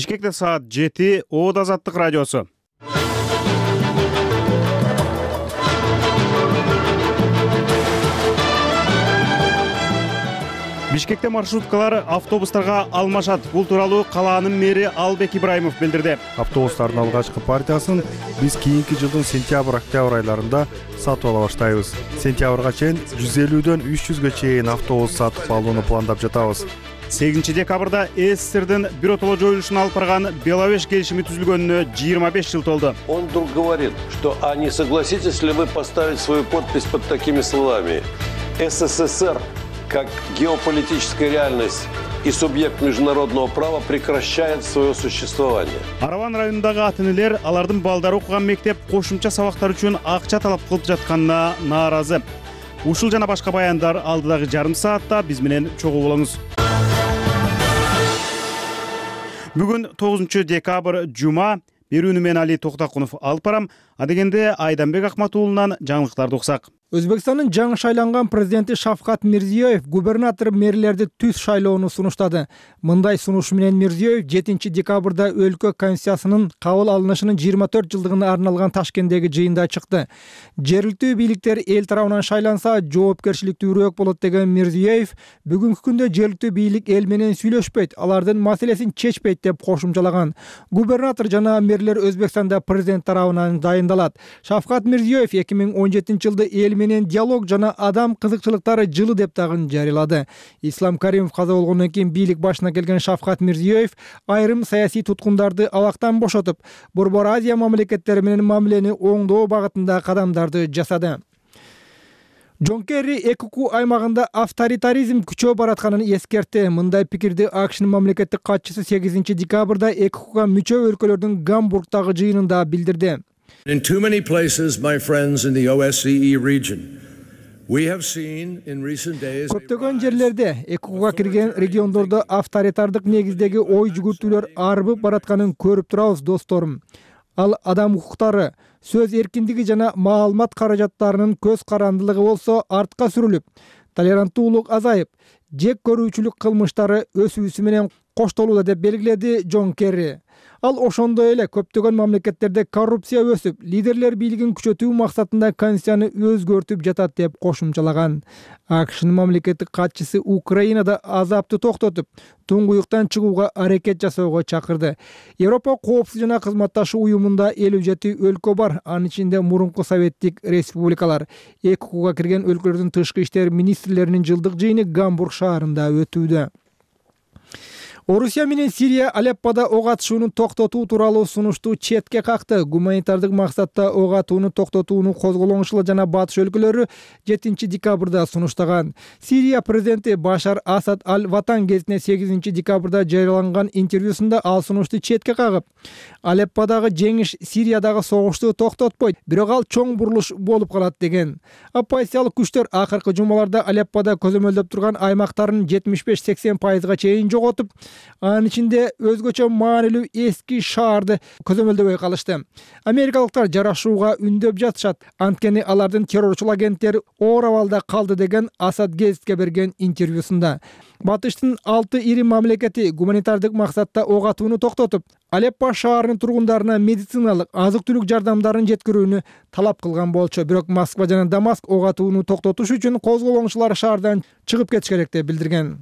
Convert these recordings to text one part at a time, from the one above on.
Бишкекте саат 7, Оот Азаттык радиосу. Бишкекте маршруткалар автобустарга алмашат. Бул тууралуу калаанын мэри Албек Ибраимов билдирди. Автобустардын алгачкы партиясын биз кийинки жылдын сентябрь-октябрь айларында сатып ала баштайбыз. Сентябрга чейин 150дөн 300гө чейин автобус сатып алууну пландап жатабыз. 8 декабрда СССРдин биротоло жоюлушун алып барган Беловеж келишими түзүлгөнүнө 25 жыл толду. Он вдруг говорит, что а не согласитесь ли вы поставить свою подпись под такими словами: СССР как геополитическая реальность и субъект международного права прекращает свое существование. Араван районундагы ата-энелер алардын балдары окуган мектеп кошумча сабактар үчүн акча талап кылып жатканына нааразы. Ушул жана башка баяндар алдыдагы жарым саатта биз менен чогуу болуңуз. Бүгүн 9 декабрь жума. Берүүнү мен Али Токтакунов алып барам. Адегенде Айданбек Акмат уулунан жаңылыктарды уксак. Өзбекстандын жаңы шайланган президенти Шавкат Мирзиёев губернатор мэрлерди түз шайлоону сунуштады. Мындай сунуш менен Мирзиёев 7 декабрда өлкө конституциясынын кабыл алынышынын 24 жылдыгына арналган Ташкенттеги жыйында чыкты. Жергиликтүү бийликтер эл тарабынан шайланса, жоопкерчиликтүүрөөк болот деген Мирзиёев бүгүнкү күндө жергиликтүү бийлик эл менен сүйлөшпөйт, алардын маселесин чечпейт деп кошумчалаган. Губернатор жана мэрлер Өзбекстанда президент тарабынан дайындалат. Шавкат Мирзиёев 2017 жылда эл менен диалог жана адам кызыкчылыктары жылы деп дагы жарыялады. Ислам Каримов каза болгондон кийин бийлик башына келген Шавкат Мирзиёев айрым саясий туткундарды абактан бошотуп, Борбор Азия мамлекеттери менен мамилени оңдоо багытында кадамдарды жасады. Джон Керри ЭКК аймагында авторитаризм күчөп баратканын эскертти. Мындай пикирди АКШнын мамлекеттик катчысы 8 декабрда ЭККга мүчө өлкөлөрдүн Гамбургдагы жыйынында билдирди. In too many places, my friends in the OSCE region, we have seen in recent days. Көптөгөн жерлерде ЭККга кирген региондордо авторитардык негиздеги ой жүгүртүүлөр арбып баратканын көрүп турабыз, досторум. Ал адам укуктары, сөз эркиндиги жана маалымат каражаттарынын көз карандылыгы болсо артка сүрүлүп, толеранттуулук азайып, жек көрүүчүлүк кылмыштары өсүүсү менен коштолууда деп белгиледи Джон Керри. Ал ошондой эле көптөгөн мамлекеттерде коррупция өсүп, лидерлер бийлигин күчөтүү максатында конституцияны өзгөртүп жатат деп кошумчалаган. АКШнын мамлекеттик катчысы Украинада азапты токтотуп, туңгуюктан чыгууга аракет жасоого чакырды. Европа коопсуздук жана кызматташуу уюмунда 57 өлкө бар, анын ичинде мурунку советтик республикалар. ЭККга кирген өлкөлөрдүн тышкы иштер министрлеринин жылдык жыйыны Гамбург шаарында өтүүдө. Орусия менен Сирия Алеппода ок атышууну токтотуу тууралуу сунушту четке какты. Гуманитардык максатта ок атууну токтотууну козголоңчулар жана батыш өлкөлөрү 7 декабрда сунуштаган. Сирия президенти Башар Асад Аль-Ватан гезитине 8 декабрда жарыяланган интервьюсунда ал сунушту четке кагып, Алепподагы жеңиш Сириядагы согушту токтотпойт, бирок ал чоң бурулуш болуп калат деген. Оппозициялык күчтөр акыркы жумаларда Алеппода көзөмөлдөп турган аймактарын 75-80% чейин жоготуп, анын ичинде өзгөчө маанилүү эски шаарды көзөмөлдөбөй калышты. Америкалыктар жарашууга үндөп жатышат, анткени алардын террорчул агенттери оор абалда калды деген Асад гезитке берген интервьюсунда. Батыштын 6 ири мамлекети гуманитардык максатта ок атууну токтотуп, Алеппо шаарынын тургундарына медициналык, азык-түлүк жардамдарын жеткирүүнү талап кылган болчу. Бирок Москва жана Дамаск ок атууну токтотуш үчүн козголоңчулар шаардан чыгып кетиш керек деп билдирген.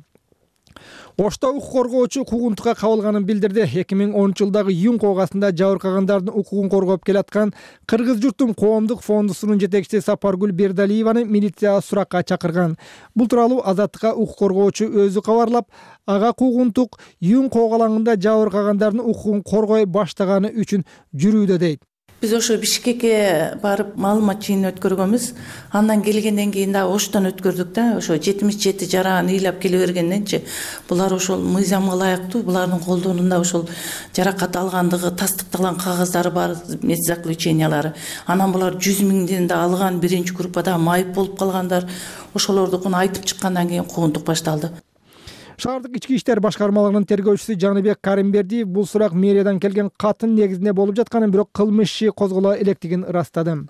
Ошто укук коргоочу куугунтукка кабылганын билдирди. 2010 жылдагы июнь коогасында жабыркагандардын укугун коргоп келаткан Кыргыз журтум коомдук фондусунун жетекчиси Сапаргүл Бердалиеваны милицияга суракка чакырган. Бул тууралуу Азаттыкка укук коргоочу өзү кабарлап, ага куугунтук июнь коогалаңында жабыркагандардын укугун коргой баштаганы үчүн жүрүүдө дейт. Биз ошо Бишкекке барып маалымат жыйын өткөргөнбүз. Андан келгенден кийин да Оштон өткөрдүк да, ошо 77 жараан ыйлап келе бергенденчи булар ошол мыйзамга ылайыктуу, булардын колдонунда ошол жаракат алгандыгы тастыкталган кагаздары бар, медзаключениялары. Анан булар 100 миңден да алган, биринчи группада майып болуп калгандар. Ошолордукун айтып чыккандан кийин куугунтук башталды. Шаардык ички иштер башкармалыгынын тергөөчүсү Жаныбек Каримбердиев бул сурак мэриядан келген каттын негизинде болуп жатканын, бирок кылмыш иши козголо электигин ырастады.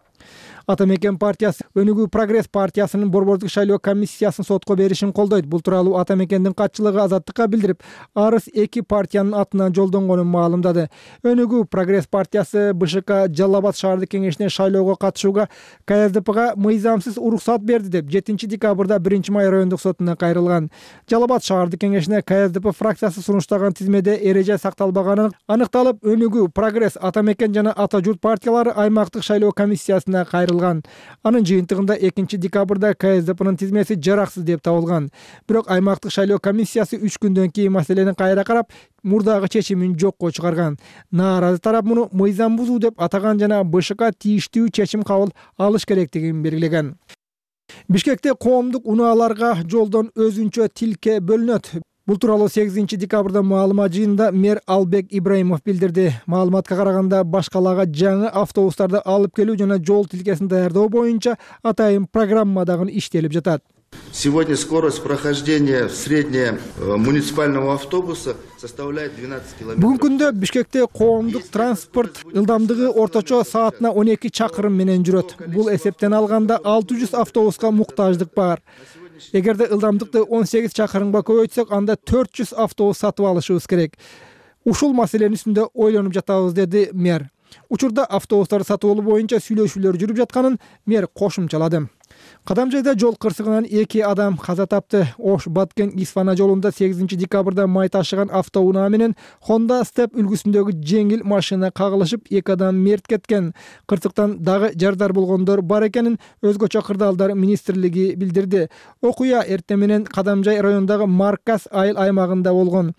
Ата Мекен партиясы Өнүгүү Прогресс партиясынын борбордук шайлоо комиссиясын сотко беришин колдойт. Бул тууралуу Ата Мекендин катчылыгы Азаттыкка билдирип, арыз эки партиянын атынан жолдонгонун маалымдады. Өнүгүү Прогресс партиясы БШК Жалал Абад шаардык кеңешине шайлоого катышууга КСДПга мыйзамсыз уруксат берди деп 7 декабрда 1 май райондук сотуна кайрылган. Жалал Абад шаардык кеңешине КСДП фракциясы сунуштаган тизмеде эреже сакталбаганы аныкталып, Өнүгүү Прогресс, Ата Мекен жана Ата Журт партиялары аймактык шайлоо комиссиясына кайрылган. Анын жыйынтыгында 2 декабрда КСДПнын тизмеси жараксыз деп табылган. Бирок аймактык шайлоо комиссиясы 3 күндөн кийин маселени кайра карап, мурдагы чечимин жокко чыгарган. Нааразы тарап муну мыйзам бузуу деп атаган жана БШК тийиштүү чечим кабыл алыш керектигин белгилеген. Бишкекте коомдук унааларга жолдон өзүнчө тилке бөлүнөт. Бул тууралуу 8 декабрда маалымат жыйынында мэр Албек Ибраимов билдирди. Маалыматка караганда башкалага жаңы автобустарды алып келүү жана жол тилкесин даярдоо боюнча атайын программа дагы иштелип жатат. Сегодня скорость прохождения среднего муниципального автобуса составляет 12 км. Бүгүнкү күндө Бишкекте коомдук транспорт ылдамдыгы орточо саатына 12 чакырым менен жүрөт. Бул эсептен алганда 600 автобуска муктаждык бар. Эгерде ылдамдыкты 18 чакырымга көбөйтсөк, анда 400 автобус сатып алышыбыз керек. Ушул маселенин үстүндө ойлонуп жатабыз, деди мэр. Учурда автобустарды сатып алуу боюнча сүйлөшүүлөр жүрүп жатканын мэр кошумчалады. Кадамжайда жол кырсыгынан 2 адам каза тапты. Ош Баткен Исфана жолунда 8 декабрда май ташыган автоунаа менен Honda Step үлгүсүндөгү жеңил машина кагылышып, 2 адам мерт кеткен. Кырсыктан дагы жардар болгондор бар экенин өзгөчө кырдаалдар министрлиги билдирди. Окуя эртең менен Кадамжай районундагы Маркас айыл аймагында болгон.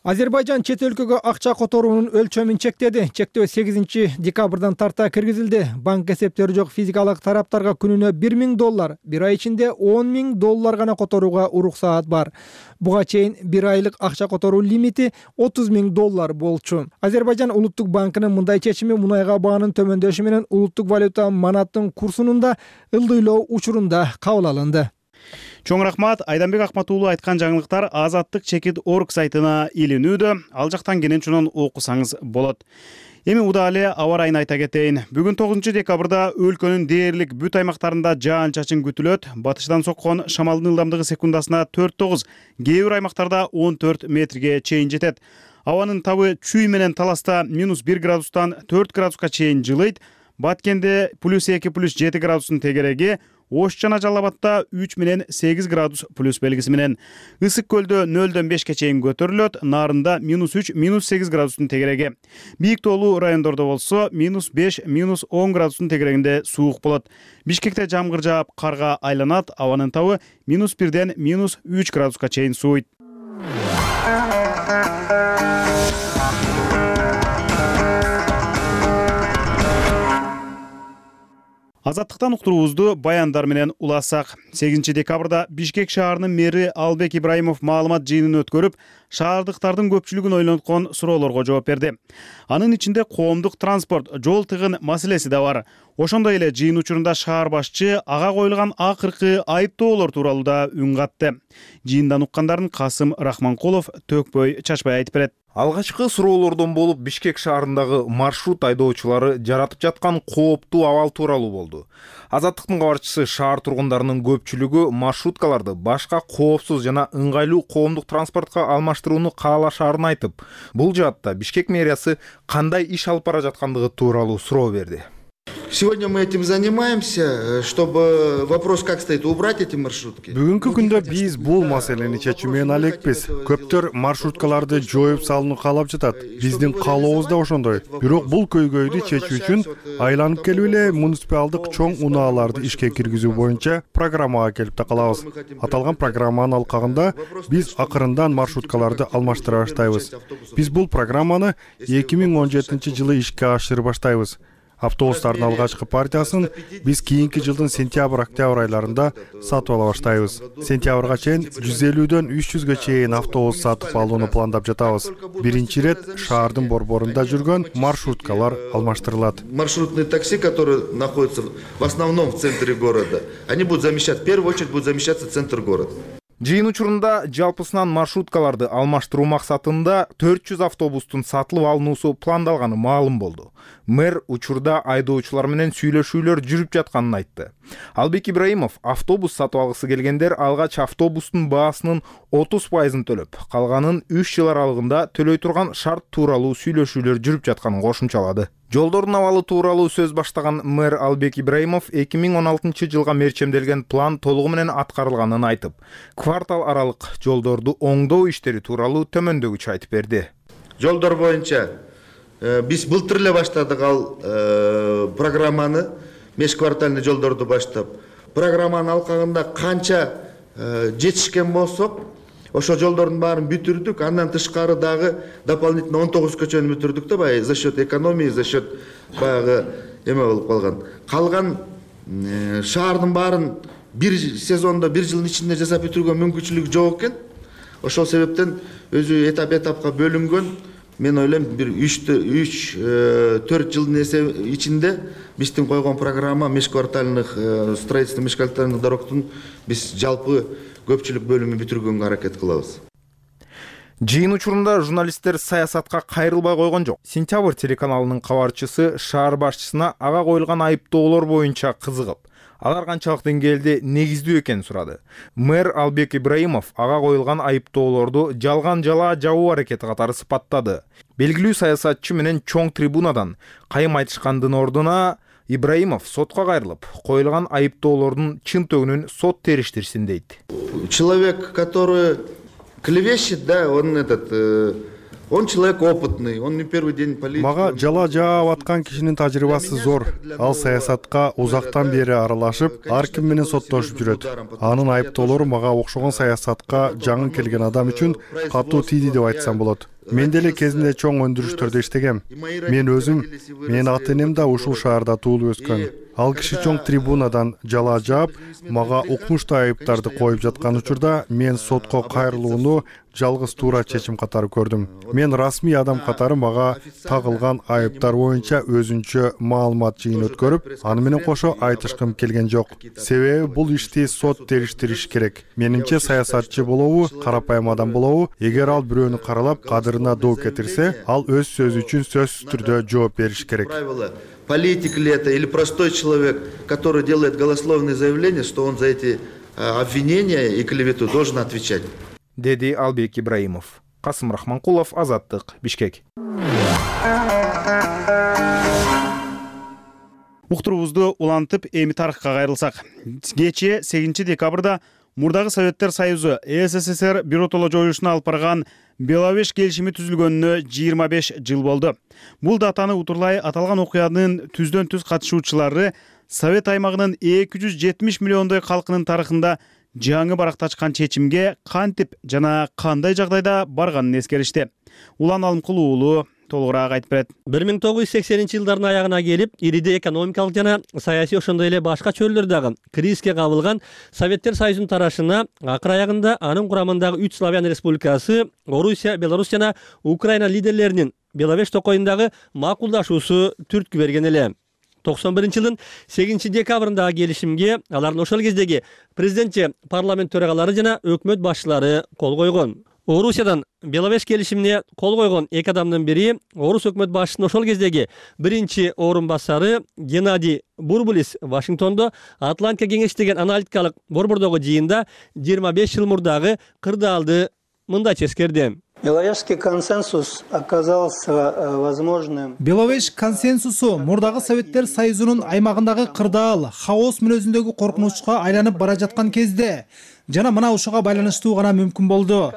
Азербайжан чет өлкөгө акча которуунун өлчөмүн чектеди. Чектөө 8 декабрдан тарта киргизилди. Банк эсептери жок физикалык тараптарга күнүнө $1,000, бир ай ичинде $10,000 гана которууга уруксаат бар. Буга чейин бир айлык акча которуу лимити $30,000 болчу. Азербайжан улуттук банкынын мындай чечими мунайга баанын төмөндөшү менен улуттук валюта манаттын курсунун да ылдыйлоо учурунда кабыл алынды. Чоң рахмат. Айданбек Акматуулу айткан жаңылыктар Азаттык.org сайтына илинүүдө. Ал жактан кенен окусаңыз болот. Эми удале аба ырайын айта кетейин. Бүгүн 9 декабрда өлкөнүн дээрлик бүт аймактарында жаан-чачын күтүлөт. Батыштан соккон шамалдын ылдамдыгы секундасына 4-9, кээ бир аймактарда 14 метрге чейин жетет. Абанын табы чүй менен Таласта -1 градустан 4 градуска чейин жылыйт. Баткенде +2 +7 градустун тегереги, Ош жана Жалал Абадта 3 менен 8 градус плюс белгиси менен. Ысык көлдө 0-дөн 5ке чейин көтөрүлөт, Нарында -3, -8 градустун тегереги. Бийик тоолуу райондордо болсо -5, -10 градустун тегерегинде суук болот. Бишкекте жамгыр жаап, карга айланат, абанын табы -1ден -3 градуска чейин сууйт. Азаттыктан уктуруубузду баяндар менен улассак. 8 декабрда Бишкек шаарынын мэри Албек Ибраимов маалымат жыйынын өткөрүп, шаардыктардын көпчүлүгүн ойлонткон суроолорго жооп берди. Анын ичинде коомдук транспорт, жол тыгын маселеси да бар. Ошондой эле жыйын учурунда шаар башчы ага коюлган акыркы айыптоолор тууралуу да үн катты. Жыйындан уккандарын Касым Рахманкулов төкпөй чачпай айтып берет. Алгачкы суроолордон болуп Бишкек шаарындагы маршрут айдоочулары жаратып жаткан кооптуу абал тууралуу болду. Азаттыктын кабарчысы шаар тургундарынын көпчүлүгү маршруткаларды башка коопсуз жана ыңгайлуу коомдук транспортко алмаштырууну каалашаарын айтып, бул жаатта Бишкек мэриясы кандай иш алып бара жаткандыгы тууралуу суроо берди. Сегодня мы этим занимаемся, чтобы вопрос как стоит, убрать эти маршрутки. Бүгүнкү күндө биз бул маселени чечүү менен алекпиз. Көптөр маршруткаларды жоюп салууну каалап жатат. Биздин каалообуз да ошондой. Бирок бул көйгөйдү чечүү үчүн айланып келип эле муниципалдык чоң унааларды ишке киргизүү боюнча программага келип такалабыз. Аталган программанын алкагында биз акырындан маршруткаларды алмаштыра баштайбыз. Биз бул программаны 2017 жылы ишке ашырып баштайбыз. Автобустардын алгачкы партиясын биз кийинки жылдын сентябрь-октябрь айларында сатып ала баштайбыз. Сентябрга чейин 150дөн 300гө чейин автобус сатып алууну пландап жатабыз. Биринчи ирет шаардын борборунда жүргөн маршруткалар алмаштырылат. Маршрутные такси, которые находятся в основном в центре города, они будут замещать, в первую очередь будут замещаться центр города. Жыйын учурунда жалпысынан маршруткаларды алмаштыруу максатында 400 автобустун сатылып алынуусу пландалганы маалым болду. Мэр учурда айдоочулар менен сүйлөшүүлөр жүрүп жатканын айтты. Албек Ибраимов автобус сатып алгысы келгендер алгач автобустун баасынын 30% төлөп, калганын 3 жыл аралыгында төлөй турган шарт тууралуу сүйлөшүүлөр жүрүп жатканын кошумчалады. Жолдордун абалы тууралуу сөз баштаган мэр Албек Ибраимов 2016 жылга мерчемделген план толугу менен аткарылганын айтып, квартал аралык жолдорду оңдоо иштери тууралуу төмөндөгүчө айтып берди. Жолдор боюнча биз былтыр эле баштадык ал программаны, межквартальный жолдорду баштап. Программанын алкагында канча жетишкен болсок, ошо жолдордун баарын бүтүрдүк. Андан тышкары дагы дополнительно 19 көчөнү бүтүрдүк да, баягы за счет экономии, за счет баягы эме болуп калган. Калган шаардын баарын бир сезондо, бир жылдын ичинде жасап бүтүргөн мүмкүнчүлүк жок экен. Ошол себептен өзү этап-этапка бөлүнгөн. Мен ойлойм, бир 3-4 жылдын ичинде биздин койгон программа межквартальных строительство межквартальных дорогтун биз жалпы көпчүлүк бөлүмү бүтүргөнгө аракет кылабыз. Жыйын учурунда журналисттер саясатка кайрылбай койгон жок. Сентябрь телеканалынын кабарчысы шаар башчысына ага коюлган айыптоолор боюнча кызыгып, алар канчалык деңгээлде негиздүү экенин сурады. Мэр Албек Ибраимов ага коюлган айыптоолорду жалган жала жабуу аракети катары сыпаттады. Белгилүү саясатчы менен чоң трибунадан кайым айтышкандын ордуна Ибраимов сотко кайрылып, коюлган айыптоолордун чын төгүнүн сот териштирсин дейт. Человек, который клевещет, да, он человек опытный, он не первый день политики. Мага жала жаап аткан кишинин тажрыйбасы зор. Ал саясатка узактан бери аралашып, ар ким менен соттошуп жүрөт. Анын айыптоолору мага окшогон саясатка жаңы келген адам үчүн катуу тийди деп айтсам болот. Мен деле кезинде чоң өндүрүштөрдө иштегем. Мен өзүм, менин ата-энем да ушул шаарда туулуп өскөн. Ал киши чоң трибунадан жала жаап, мага укмуштуу айыптарды коюп жаткан учурда мен сотко кайрылууну жалгыз туура чечим катары көрдүм. Мен расмий адам катары мага тагылган айыптар боюнча өзүнчө маалымат жыйын өткөрүп, аны менен кошо айтышкым келген жок. Себеби бул ишти сот териштириш керек. Менимче саясатчы болобу, карапайым адам болобу, эгер ал бирөөнү каралап, кадырына доо кетирсе, ал өз сөзү үчүн сөзсүз түрдө жооп бериш керек. Политик ли это или простой человек, который делает голословные заявления, что он за эти обвинения и клевету должен отвечать. Деди Албек Ибраимов. Касым Рахманкулов, Азаттык, Бишкек. Уктурубузду улантып эми тарыхка кайрылсак. Кечээ 8 декабрда Мурдагы Советтер Союзу СССР биротоло жоюшуна алып барган Беловеж келишими түзүлгөнүнө 25 жыл болду. Бул датаны утурлай аталган окуянын түздөн түз катышуучулары Совет аймагынын 270 миллиондой калкынын тарыхында жаңы баракташкан чечимге кантип жана кандай жагдайда барганын эскеришти. Улан Алымкул уулу толугураак айтып берет. 1980-жылдардын аягына келип, ириде экономикалык жана саясий ошондой эле башка чөрлөр дагы кризиске кабылган Советтер Союзунун тарашына акыр аягында анын курамындагы 3 славян республикасы, Орусия, Беларусь жана Украина лидерлеринин Беловеж токойундагы макулдашуусу түрткү берген эле. 91-жылдын 8 декабрындагы келишимге алардын ошол кездеги президентче парламент төрагалары жана өкмөт башчылары кол койгон. Орусиядан Беловеж келишимине кол койгон эки адамдын бири Орус өкмөт башчысынын ошол кездеги биринчи орун басары Геннадий Бурбулис Вашингтондо Атлантика кеңеши деген аналитикалык борбордогу жыйында 25 жыл мурдагы кырдаалды мындайча эскерди. Беловежский консенсус оказался возможным. Беловеж консенсусу мурдагы Советтер Союзунун аймагындагы кырдаал, хаос мүнөзүндөгү коркунучка айланып бара жаткан кезде жана мына ушуга байланыштуу гана мүмкүн болду.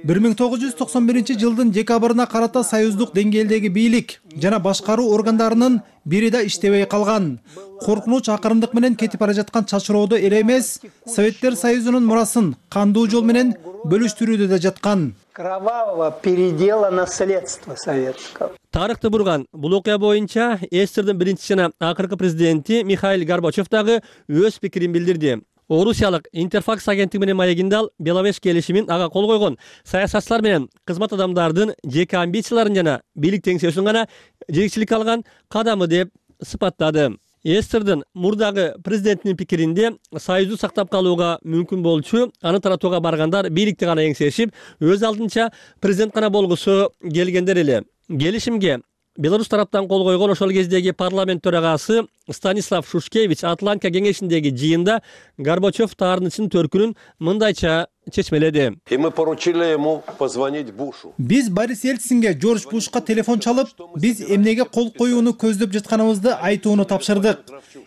1991-жылдын декабрына карата союздук деңгээлдеги бийлик жана башкаруу органдарынын бири да иштебей калган. Коркунуч акырындык менен кетип бара жаткан чачыроодо эле эмес, Советтер Союзунун мурасын кандуу жол менен бөлүштүрүүдө да жаткан. Кровавого передела наследства советского. Тарыхты бурган бул окуя боюнча СССРдин биринчи жана акыркы президенти Михаил Горбачев дагы өз пикирин билдирди. Орусиялык Интерфакс агенттиги менен маегинде ал Беловеж келишимин ага кол койгон саясатчылар менен кызмат адамдардын жеке амбицияларын жана бийлик теңсөөсүн гана жетекчилик алган кадамы деп сыпаттады. Эстердин мурдагы президенттин пикиринде союзду сактап калууга мүмкүн болчу аны таратууга баргандар бийликти гана эңсешип, өз алдынча президент гана болгусу келгендер эле. Келишимге Беларусь тараптан кол койгон ошол кездеги парламент төрагасы Станислав Шушкевич Атлантика кеңешиндеги жыйында Горбачев таарынычынын төркүнүн мындайча чечмеледи. И мы поручили ему позвонить Бушу. Биз Борис Ельцинге Жорж Бушка телефон чалып, биз эмнеге кол коюуну көздөп жатканыбызды айтууну тапшырдык.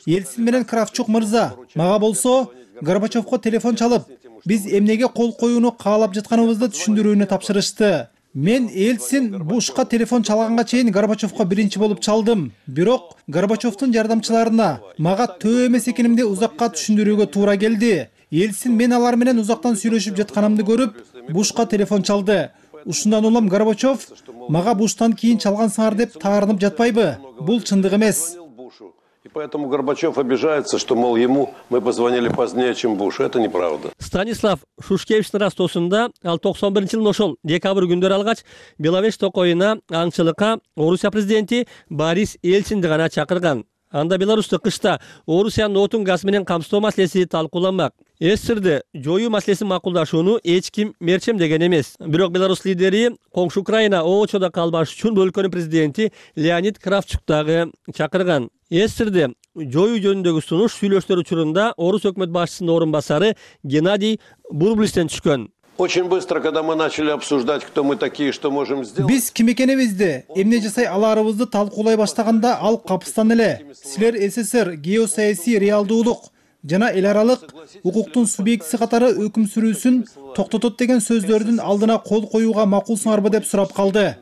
Ельцин менен Кравчук мырза, мага болсо Горбачевко телефон чалып, биз эмнеге кол коюуну каалап жатканыбызды түшүндүрүүнү тапшырышты. Мен Ельцин Бушка телефон чалганга чейин Горбачевко биринчи болуп чалдым. Бирок Горбачевдун жардамчыларына мага төө эмес экенимди узакка түшүндүрүүгө туура келди. Ельцин мен алар менен узактан сүйлөшүп жатканымды көрүп, Бушка телефон чалды. Ушундан улам Горбачев мага Буштан кийин чалгансыңар деп таарынып жатпайбы? Бул чындык эмес. И поэтому Горбачев обижается, что, мол, ему мы позвонили позднее, чем Буш. Это неправда. Станислав Шушкевичтин растоосунда ал 91-жылдын ошол декабрь күндөрү алгач Беловеж токоюна аңчылыкка Орусия президенти Борис Ельцинди гана чакырган. Анда Беларусьта кышта Орусиянын отун газ менен камсыздоо маселеси талкууланмак. Эстерди жоюу маселесин макулдашууну эч ким мерчемдеген эмес. Бирок Беларусь лидери коңшу Украина ОЧОдо калбаш үчүн бул өлкөнүн президенти Леонид Кравчук дагы чакырган. Эстерди жоюу жөнүндөгү сунуш сүйлөштөр учурунда Орус өкмөт башчысынын орун басары Геннадий Бурблистен түшкөн. Очень быстро, когда мы начали обсуждать, кто мы такие, что можем сделать. Биз ким экенибизди, эмне жасай аларыбызды талкуулай баштаганда ал капыстан эле. Силер СССР геосаясий реалдуулук жана эл аралык укуктун субъектиси катары өкүм сүрүүсүн токтотот деген сөздөрдүн алдына кол коюуга макулсуңарбы деп сурап калды.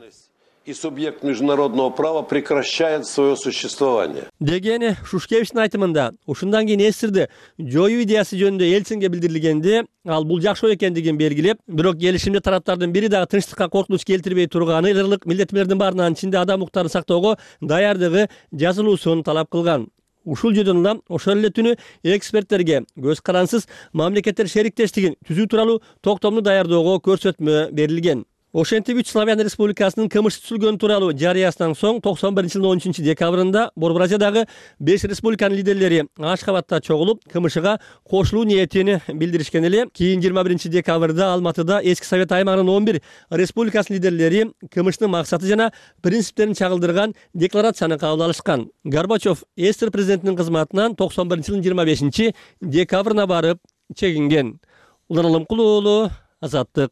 И субъект международного права прекращает свое существование. Дегени Шушкевичтин айтымында, ушундан кийин Эстерди жоюу идеясы жөнүндө Ельцинге билдирилгенде, ал бул жакшы экендигин белгилеп, бирок келишимде тараптардын бири дагы тынчтыкка коркунуч келтирбей турганы ырлык милдеттемелердин баарынан ичинде адам укуктарын сактоого даярдыгы жазылуусун талап кылган. Ушул жөнүндө улам ошол эле түнү эксперттерге көз карансыз мамлекеттер шериктештигин түзүү тууралуу токтомду даярдоого көрсөтмө берилген. Ошентип Үч Славян Республикасынын кылмыш түзүлгөнү тууралуу жарыясынан соң 91-жылдын 13-декабрында Борбор-Азиядагы 5 республиканын лидерлери Ашхабадта чогулуп, КМШга кошулуу ниетин билдиришкен эле. Кийин 21-декабрда Алматыда Эски Совет аймагынын 11 республикасынын лидерлери КМШнын максаты жана принциптерин чагылдырган декларацияны кабыл алышкан. Горбачев Эстер президентинин кызматынан 91-жылдын 25-декабрына барып чегинген. Улан Алымкул уулу, Азаттык.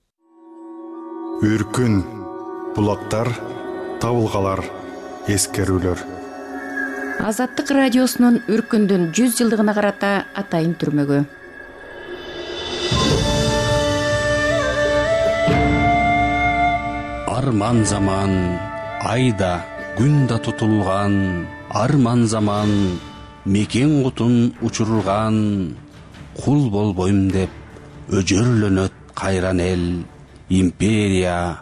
Үркүн, булактар, табылгалар, эскерүүлөр. Азаттык радиосунун Үркүндүн 100 жылдыгына карата атайын түрмөгү. Арман заман, айда, күн да тутулган, арман заман, мекен кутун учурган, кул болбойм деп өжөрлөнөт кайран эл. Империя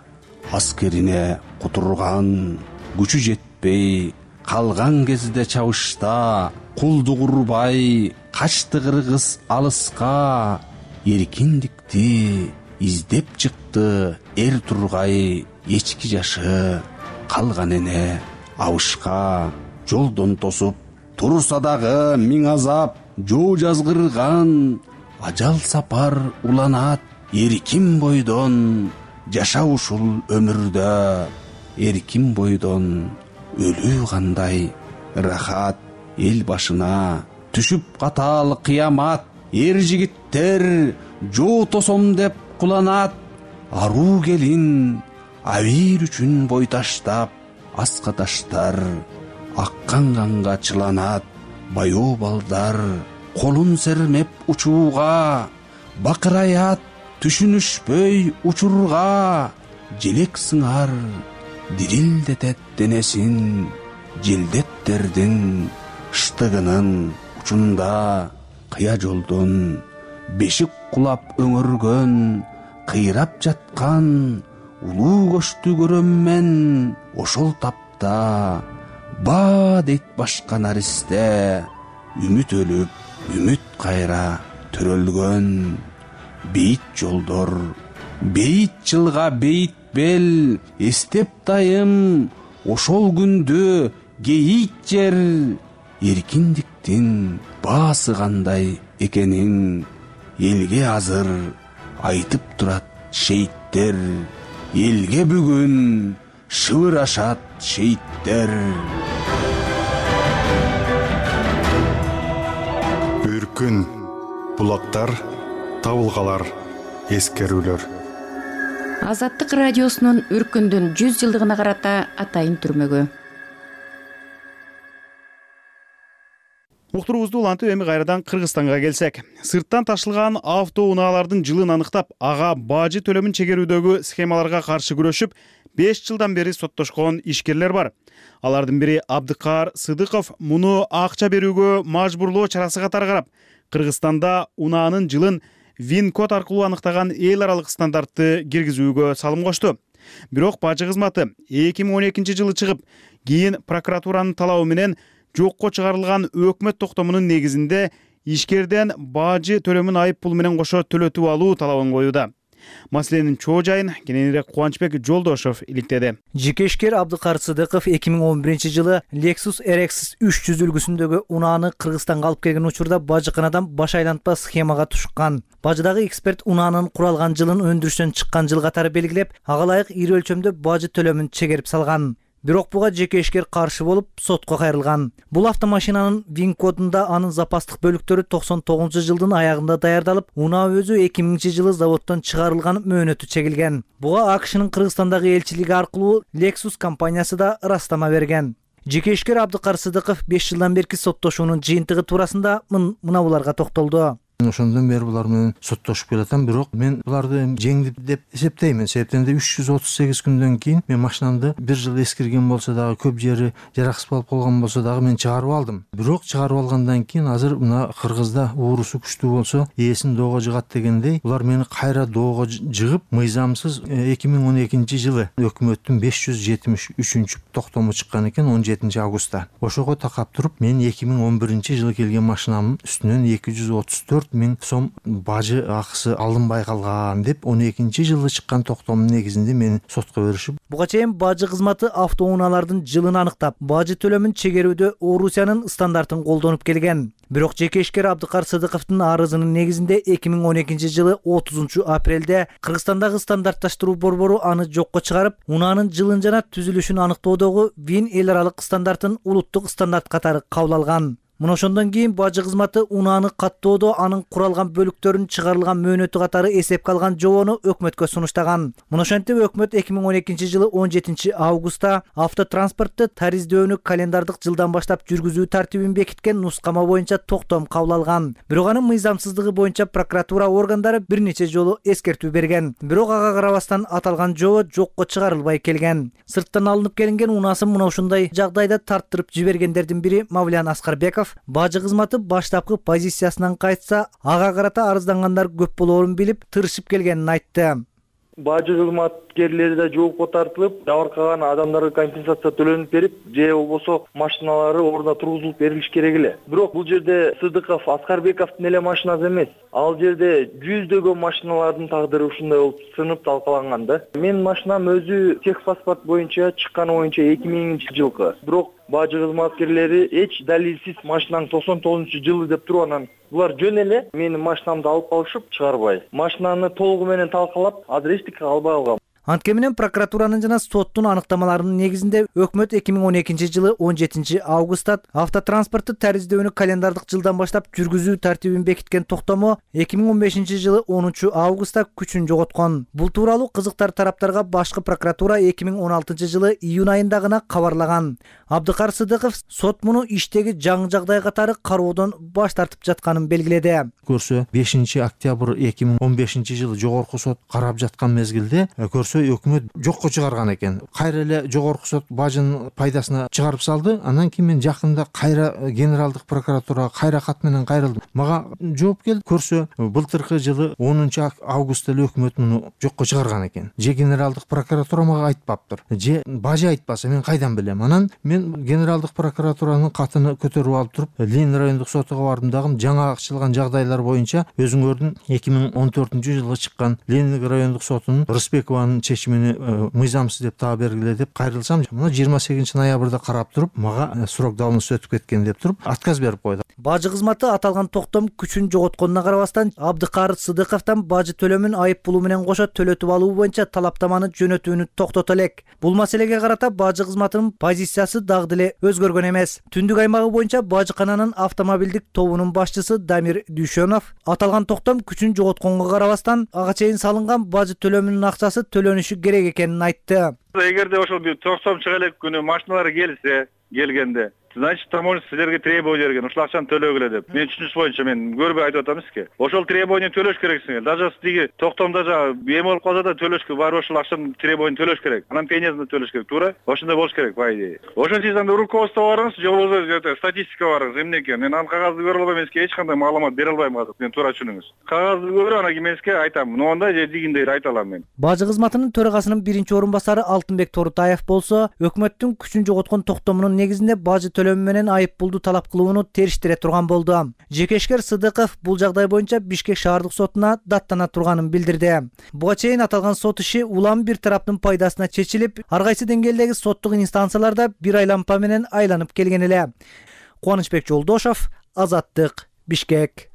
аскерине кутурган, күчү жетпей калган кезде чабышта, кулду курбай качты кыргыз алыска, эркиндикти издеп чыкты эр тургай, эчки жашы калган эне абышка. Жолдон тосуп турса дагы миң азап, жоо жазгырган, ажал сапар уланат, эркин бойдон жаша ушул өмүрдө, эркин бойдон өлүү кандай рахат. Эл башына түшүп катаал кыямат, эр жигиттер жоо тосом деп куланат. Аруу келин абийир үчүн бой таштап, аска таштар аккан канга чыланат. Баяу балдар колун сермеп учууга, бакыраят түшүнүшпөй учурга. Желек сыңар дирилдетет денесин, желдеттердин штыгынын учунда. Кыя жолдон бешик кулап өңөргөн, кыйрап жаткан улуу көчтү көрөм мен ошол тапта. Ба дейт башка наристе, үмүт өлүп, үмүт кайра төрөлгөн. Бейит жолдор, бейит жылга бейит бел, эстеп дайым ошол күндү гейит жер. эркиндиктин баасы кандай экенин элге азыр айтып турат шейиттер. Элге бүгүн шыбырашат шейиттер. Үркүн, булактар, табылгалар, эскерүүлөр. Азаттык радиосунун Үркүндүн 100 жылдыгына карата атайын түрмөгү. Уктуруубузду улантып эми кайрадан Кыргызстанга келсек. Сырттан ташылган автоунаалардын жылын аныктап, ага бажы төлөмүн чегерүүдөгү схемаларга каршы күрөшүп, 5 жылдан бери соттошкон ишкерлер бар. Алардын бири Абдыкаар Сыдыков муну акча берүүгө мажбурлоо чарасы катары карап, Кыргызстанда унаанын жылын ВИН-код аркылуу аныктаган эл аралык стандартты киргизүүгө салым кошту. Бирок бажы кызматы 2012 жылы чыгып, кийин прокуратуранын талабы менен жокко чыгарылган өкмөт токтомунун негизинде ишкерден бажы төлөмүн айып пул менен кошо төлөтүп алуу талабын коюуда. Маселенин чоо жайын кененирээк Кубанычбек Жолдошов иликтеди. Жеке ишкер Абдыкаар Сыдыков 2011 жылы Lexus RX 300 үлгүсүндөгү унааны Кыргызстанга алып келген учурда бажыканадан баш айлантпа схемага тушкан. Бажыдагы эксперт унаанын куралган жылын өндүрүштөн чыккан жыл катары белгилеп, ага ылайык ири өлчөмдө бажы төлөмүн чегерип салган. Бирок буга жеке ишкер каршы болуп, сотко кайрылган. Бул автомашинанын ВИН-кодунда анын запастык бөлүктөрү 99 жылдын аягында даярдалып, унаа өзү 2000 жылы заводдон чыгарылган мөөнөтү чегилген. Буга AQShnын Кыргызстандагы элчилиги аркылуу Lexus компаниясы да ырастама берген. Жеке ишкер Абдыкаар Сыдыков 5 жылдан берки соттошуунун жыйынтыгы туурасында мына буларга токтолду. Ошондон бери булар менен соттошуп келатам, бирок мен буларды жеңдип деп эсептеймин. Себептен 338 күндөн кийин мен машинамды 1 жыл эскирген болсо дагы, көп жери жараксыз болуп калган болсо дагы мен чыгарып алдым. Бирок чыгарып алгандан кийин азыр мына Кыргызда уурусу күчтүү болсо, ээсин доого жыгат дегендей, булар мени кайра доого жыгып, мыйзамсыз 2012 жылы өкмөттүн 573 токтому чыккан экен 17 августта. Ошого такап туруп, мен 2011 жылы келген машинамдын үстүнөн 234 000 сом бажы акысы алынбай калган деп 12 жылы чыккан токтомдун негизинде мени сотко беришип. Буга чейин бажы кызматы автоунаалардын жылын аныктап, бажы төлөмүн чегерүүдө Орусиянын стандартын колдонуп келген. Бирок жеке ишкер Абдыкаар Сыдыковдун арызынын негизинде 2012 жылы 30 апрелде Кыргызстандагы стандартташтыруу борбору аны жокко чыгарып, унаанын жылын жана түзүлүшүн аныктоодогу ВИН эл аралык стандартын улуттук стандарт катары кабыл алган. Мына ошондон кийин бажы кызматы унааны каттоодо анын куралган бөлүктөрүн чыгарылган мөөнөтү катары эсепке алган жобону өкмөткө сунуштаган. Мына ошентип өкмөт 2012 жылы 17 августта автотранспортты тариздөөнү календардык жылдан баштап жүргүзүү тартибин бекиткен нускама боюнча токтом кабыл алган. Бирок анын мыйзамсыздыгы боюнча прокуратура органдары бир нече жолу эскертүү берген. Бирок ага карабастан аталган жобо жокко чыгарылбай келген. Сырттан алынып келинген унаасын мына ушундай жагдайда тарттырып жибергендердин бири Мавлян Аскарбеков бажы кызматы баштапкы позициясынан кайтса, ага карата арыздангандар көп болоорун билип, тырышып келгенин айтты. Бажы кызматкерлери да жоопко тартылып, жабыркаган адамдарга компенсация төлөнүп берип, же болбосо машиналары ордуна тургузулуп берилиш керек эле. Бирок бул жерде Сыдыков, Аскарбековдун эле машинасы эмес. Ал жерде жүздөгөн машиналардын тагдыры ушундай болуп сынып талкаланган да. Менин машинам өзү техпаспорт боюнча чыкканы боюнча 2000 жылкы. Бирок бажы кызматкерлери эч далилсиз машинаң 99 жылы деп туруп анан булар жөн эле менин машинамды алып калышып чыгарбай. Машинаны толугу менен талкалап, азыр эчтеке албай алгам. Анткени менен прокуратуранын жана соттун аныктамаларынын негизинде өкмөт 2012 жылы 17 августта автотранспортты тариздөөнү календардык жылдан баштап жүргүзүү тартибин бекиткен токтому 2015 жылы 10 августта күчүн жоготкон. Бул тууралуу кызыктар тараптарга башкы прокуратура 2016 жылы июнь айында гана кабарлаган. Абдыкаар Сыдыков сот муну иштеги жаңы жагдай катары кароодон баш тартып жатканын белгиледи. Көрсө 5 октябрь 2015 жылы жогорку сот карап жаткан мезгилде көрсө өкмөт жокко чыгарган экен. Кайра эле жогорку сот бажынын пайдасына чыгарып салды. Андан кийин мен жакында кайра генералдык прокуратурага кайра кат менен кайрылдым. Мага жооп келди. Көрсө былтыркы жылы 10 августта эле өкмөт муну жокко чыгарган экен. Же генералдык прокуратура мага айтпаптыр, же бажы айтпаса мен кайдан билем. Анан мен мен генералдык прокуратуранын катыны көтөрүп алып туруп Ленин райондук сотуга бардым дагы жаңа ачылган жагдайлар боюнча өзүңөрдүн 2014-жылы чыккан Ленин райондук сотунун Рысбекованын чечимини мыйзамсыз деп таап бергиле деп кайрылсам, мына 28 ноябрда карап туруп мага срок давности өтүп кеткен деп туруп отказ берип койду. Бажы кызматы аталган токтом күчүн жоготконуна карабастан Абдыкарыт Сыдыковдон бажы төлөмүн айып пулу менен кошо төлөтүп алуу боюнча талаптаманы жөнөтүүнү токтото элек. Бул маселеге карата бажы кызматынын позициясы дагы деле өзгөргөн эмес. Түндүк аймагы боюнча бажыкананын автомобилдик тобунун башчысы Дамир Дүйшөнов аталган токтом күчүн жоготконго карабастан ага чейин салынган бажы төлөмүнүн акчасы төлөнүшү керек экенин айтты. Эгерде ошол токтом чыга элек күнү машиналар келгенде, значит, таможня силерге требование берген, ушул акчаны төлөгүлө деп. Мен түшүнүш боюнча мен көрбөй айтып атам сизге. Ошол требование төлөш керексиңер. Даже тиги токтомдо эме болуп калса да төлөшкө барып ошол акчаны требование төлөш керек. Анан пениясында төлөш керек, туура? Ошондой болуш керек, по идее. Ошентип анда руководство барыңыз, же болбосо статистика барыңыз, эмнеке. Мен анын кагазды көрө албайм, эмеске эч кандай маалымат бере албайм азыр. Мен туура түшүнүңүз. Кагазды көрүп, анан эмеске айтам. Моундай же дигиндей айта алам мен. Бажы кызматынын төрагасынын биринчи орун басары Алтынбек Торутаев болсо, өкмөттүн күчүн жоготкон токтомунун негизинде бажы төлөмү менен айып пулду талап кылууну териштире турган болду. Жекешкер Сыдыков бул жагдай боюнча Бишкек шаардык сотуна даттана турганын билдирди. Буга чейин аталган сот иши улам бир тараптын пайдасына чечилип, ар кайсы деңгээлдеги соттук инстанцияларда бир айлампа менен айланып келген эле. Кубанычбек Жолдошов, Азаттык, Бишкек.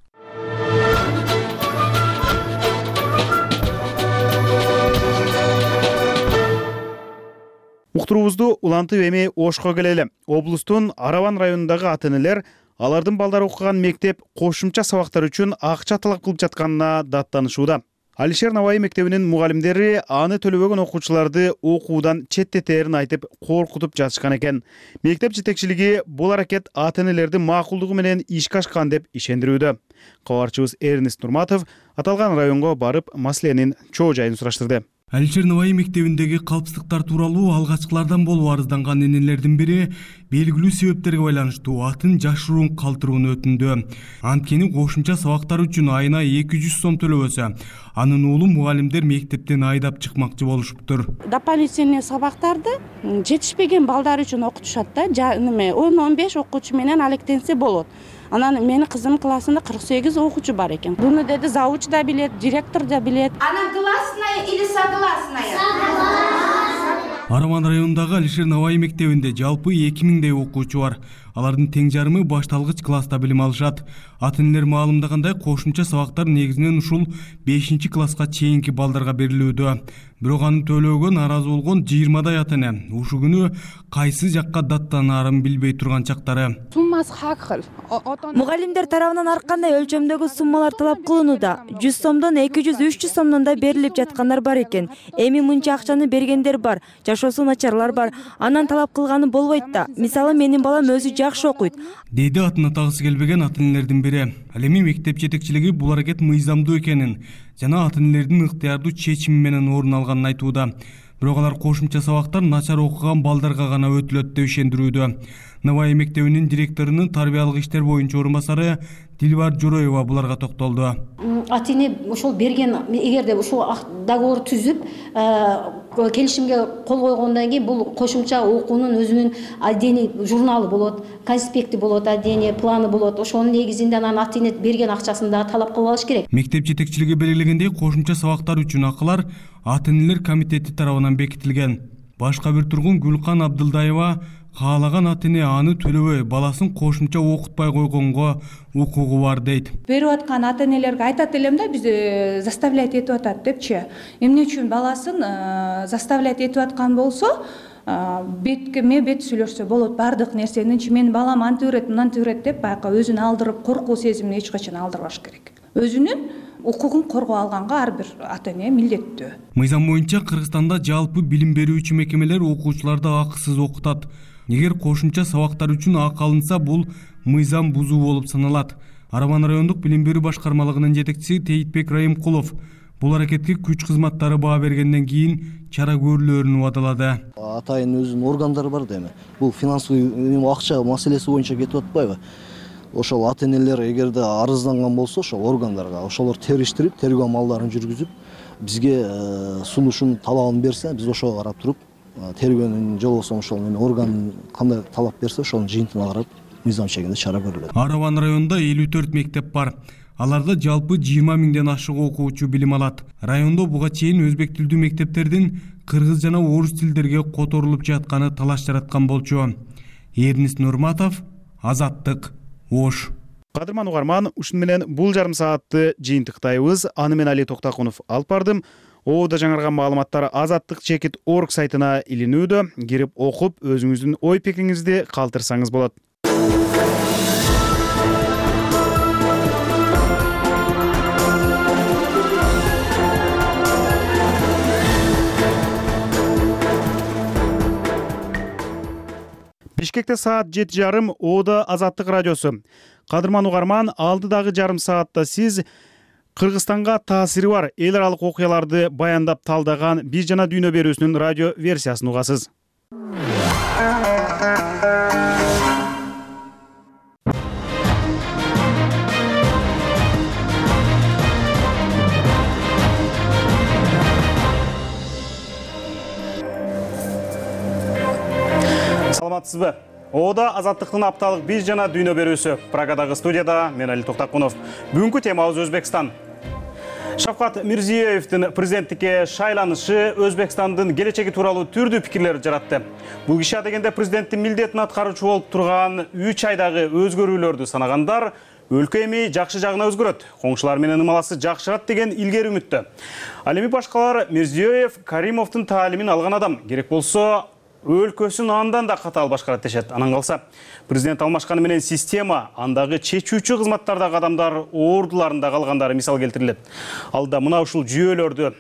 Уктуруубузду улантып эми Ошко келели. Облустун Араван районундагы ата-энелер алардын балдары окуган мектеп кошумча сабактар үчүн акча талап кылып жатканына даттанышууда. Алишер Наваи мектебинин мугалимдери аны төлөбөгөн окуучуларды окуудан четтетерин айтып коркутуп жатышкан экен. Мектеп жетекчилиги бул аракет ата-энелердин макулдугу менен ишке ашкан деп ишендирүүдө. Кабарчыбыз Эрнест Нурматов аталган районго барып маселенин чоо жайын сураштырды. Алишер Наваи мектебиндеги калпсыздыктар тууралуу алгачкылардан болуп арызданган энелердин бири белгилүү себептерге байланыштуу атын жашыруун калтырууну өтүндү. Анткени кошумча сабактар үчүн айына 200 сом төлөбөсө, анын уулу мугалимдер мектептен айдап чыкмакчы болушуптур. Дополнительный сабактарды жетишпеген балдар үчүн окутушат да, 10-15 окуучу менен алектенсе болот. Анан менин кызымдын классында 48 окуучу бар экен. Буну деди завуч да билет, директор да билет. Она гласная или согласная? Согласная. Араван районундагы Алишер Наваи мектебинде жалпы 2000дей окуучу бар. Алардын тең жарымы башталгыч класста билим алышат. Ата-энелер маалымдагандай кошумча сабактар негизинен ушул 5-класска чейинки балдарга берилүүдө. Бирок аны төлөөгө нааразы болгон 20дай ата-эне ушул күнү кайсы жакка даттанаарын билбей турган чактары. Суммасы ар кыл. Мугалимдер тарабынан ар кандай өлчөмдөгү суммалар талап кылынууда. 100 сомдон 200-300 сомдон да берилип жаткандар бар экен. Эми мынча акчаны бергендер бар, жашоосу начарлар бар. Анан талап кылганы болбойт да. Мисалы менин балам өзү жакшы окуйт. Деди атын атагысы келбеген ата-энелердин бири. Ал эми мектеп жетекчилиги бул аракет мыйзамдуу экенин жана ата-энелердин ыктыярдуу чечими менен орун алганын айтууда. Бирок алар кошумча сабактар начар окуган балдарга гана өтүлөт деп ишендирүүдө. Наваи мектебинин директорунун тарбиялык иштер боюнча орун басары Дилбар Жороева буларга токтолду. Ата-эне ошол берген, эгерде ушул договор түзүп, келишимге кол койгондон кийин бул кошумча окуунун өзүнүн отдельный журналы болот, конспекти болот, отдельный планы болот. Ошонун негизинде анан ата-эне берген акчасын дагы талап кылып алыш керек. Мектеп жетекчилиги белгилегендей, кошумча сабактар үчүн акылар ата-энелер комитети тарабынан бекитилген. Башка бир тургун Гүлкан Абдылдаева каалаган ата-эне аны төлөбөй баласын кошумча окутпай койгонго укугу бар дейт. Берип аткан ата-энелерге айтат элем да, биз заставлять этип атат депчи. Эмне үчүн баласын заставлять этип аткан болсо, бетке бет сүйлөшсө болот бардык нерсеничи. Менин балам антип берет, мынантип берет деп байка өзүн алдырып, коркуу сезимин эч качан алдырбаш керек. Өзүнүн укугун коргоо алганга ар бир ата-эне милдеттүү. Мыйзам боюнча Кыргызстанда жалпы билим берүүчү мекемелер окуучуларды акысыз окутат. Эгер кошумча сабактар үчүн акы алынса, бул мыйзам бузуу болуп саналат. Араван райондук билим берүү башкармалыгынын жетекчиси Тейтбек Райымкулов бул аракетке күч кызматтары баа бергенден кийин чара көрүлөрүн убадалады. Атайын өзүнүн органдары бар деме. Бул финансовый акча маселеси боюнча кетип атпайбы? Ошол ата-энелер эгерде арызданган болсо, ошол органдарга ошолор териштирип, тергөө амалдарын жүргүзүп, бизге сунушун талабын берсе, биз ошого карап туруп тергөөнүн же болбосо ошол эме орган кандай талап берсе ошонун жыйынтыгына карап мыйзам чегинде чара көрүлөт. Араван районунда 54 мектеп бар. Аларда жалпы 20 миңден ашык окуучу билим алат. Райондо буга чейин өзбек тилдүү мектептердин кыргыз жана орус тилдерге которулуп жатканы талаш жараткан болчу. Эрнис Нурматов, Азаттык, Ош. Кадырман угарман, ушун менен бул жарым саатты жыйынтыктайбыз. Аны мен Али Токтакунов алып бардым. Оодо жаңырган маалыматтар Азаттык.org сайтына илинүүдө. Кирип окуп, өзүңүздүн ой пикириңизди калтырсаңыз болот. Бишкекте саат 7:30 Оодо Азаттык радиосу. Кадырман угарман, алдыдагы жарым саатта сиз Кыргызстанга таасири бар эл аралык окуяларды баяндап талдаган Биз жана дүйнө берүүсүнүн радио версиясын угасыз. Саламатсызбы? Оодо Азаттыктын апталык Биз жана дүйнө берүүсү. Прагадагы студияда мен Али Токтакунов. Бүгүнкү темабыз Өзбекстан. Шавкат Мирзиёевдин президенттикке шайланышы Өзбекстандын келечеги тууралуу түрдүү пикирлер жаратты. Бул киши дегенде президенттин милдетин аткаруучу болуп турган 3 айдагы өзгөрүүлөрдү санагандар өлкө эми жакшы жагына өзгөрөт, коңшулар менен ымаласы жакшырат деген илгери үмүттө. Ал эми башкалар Мирзиёев Каримовдун таалимин алган адам, керек болсо өлкөсүн андан да катаал башкарат дешет. Анан калса, президент алмашканы менен система, андагы чечүүчү кызматтардагы адамдар ордуларында калгандары мисал келтирилет. Алда мына ушул жүйөлөрдү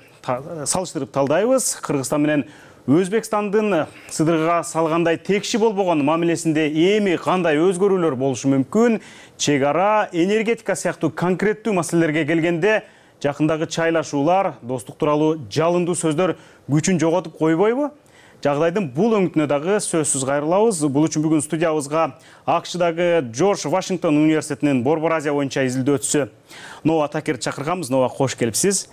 салыштырып талдайбыз. Кыргызстан менен Өзбекстандын сыдырга салгандай текши болбогон мамилесинде эми кандай өзгөрүүлөр болушу мүмкүн? Чек ара, энергетика сыяктуу конкреттүү маселелерге келгенде жакындагы чайлашуулар, достук тууралуу жалындуу сөздөр күчүн жоготуп койбойбу? Жагдайдын бул өңүтүнө дагы сөзсүз кайрылабыз. Бул үчүн бүгүн студиябызга АКШдагы Джордж Вашингтон университетинин Борбор Азия боюнча изилдөөчүсү Нова Такерди чакырганбыз. Нова, кош келипсиз.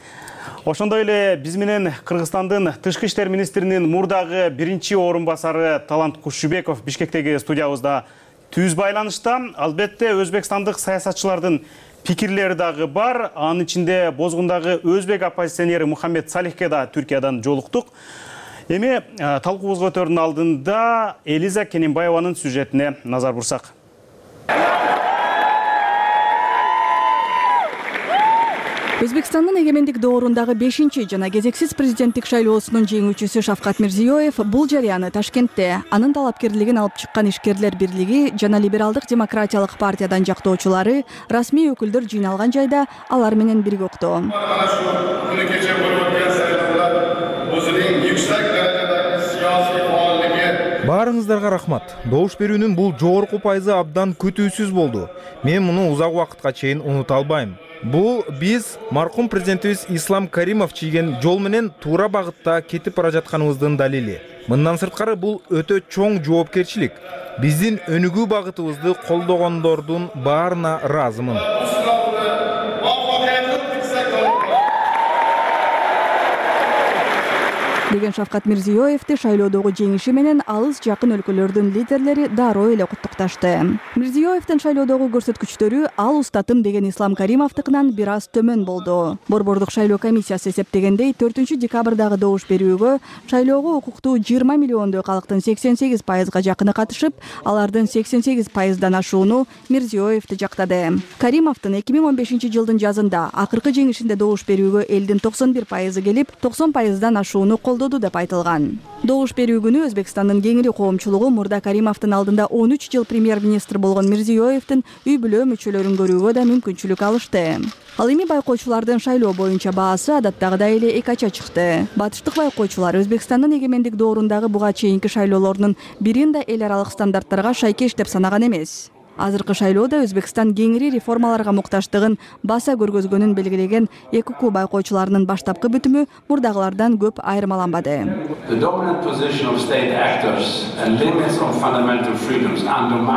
Ошондой эле биз менен Кыргызстандын тышкы иштер министринин мурдагы биринчи орун басары Талант Кушубеков Бишкектеги студиябызда түз байланышта. Албетте Өзбекстандык саясатчылардын пикирлери дагы бар. Анын ичинде бозгундагы өзбек оппозиционери Мухаммед Салихке да Түркиядан жолуктук. Эми талкуубузга өтөрдүн алдында Элиза Кененбаеванын сюжетине назар бурсак. Өзбекстандын эгемендик доорундагы 5-чи жана кезексиз президенттик шайлоосунун жеңүүчүсү Шавкат Мирзиёев бул жарыяны Ташкентте анын талапкерлигин алып чыккан ишкерлер бирлиги жана либералдык демократиялык партиядан жактоочулары расмий өкүлдөр жыйналган жайда алар менен бирге укту. Баарыңыздарга рахмат. Добуш берүүнүн бул жогорку пайызы абдан күтүүсүз болду. Мен муну узак убакытка чейин унута албайм. Бул биз маркум президентибиз Ислам Каримов чийген жол менен туура багытта кетип бара жатканыбыздын далили. Мындан сырткары бул өтө чоң жоопкерчилик. Биздин өнүгүү багытыбызды колдогондордун баарына ыраазымын. Деген Шавкат Мирзиёевди шайлоодогу жеңиши менен алыс жакын өлкөлөрдүн лидерлери дароо эле куттукташты. Мирзиёевдин шайлоодогу көрсөткүчтөрү ал устатым деген Ислам Каримовдукунан бир аз төмөн болду. Борбордук шайлоо комиссиясы эсептегендей 4-декабрдагы добуш берүүгө шайлоого укуктуу 20 миллиондой калктын 88%га жакыны катышып, алардын 88%дан ашууну Мирзиёевди жактады. Каримовдун 2015-жылдын жазында акыркы жеңишинде добуш берүүгө элдин 91% келип, 90%дан ашууну колдоду деп айтылган. Добуш берүү күнү Өзбекстандын кеңири коомчулугу мурда Каримовдун алдында 13 жыл премьер-министр болгон Мирзиёевдин үй бүлө мүчөлөрүн көрүүгө да мүмкүнчүлүк алышты. Ал эми байкоочулардын шайлоо боюнча баасы адаттагыдай эле эки ача чыкты. Батыштык байкоочулар Өзбекстандын эгемендик доорундагы буга чейинки шайлоолордун бирин да эл аралык стандарттарга шайкеш деп санаган эмес. Азыркы шайлоодо Өзбекстан кеңири реформаларга мукташтыгын баса көргөзгөнүн белгилеген ЭКК байкоочуларынын баштапкы бүтүмү мурдагылардан көп айырмаланбады.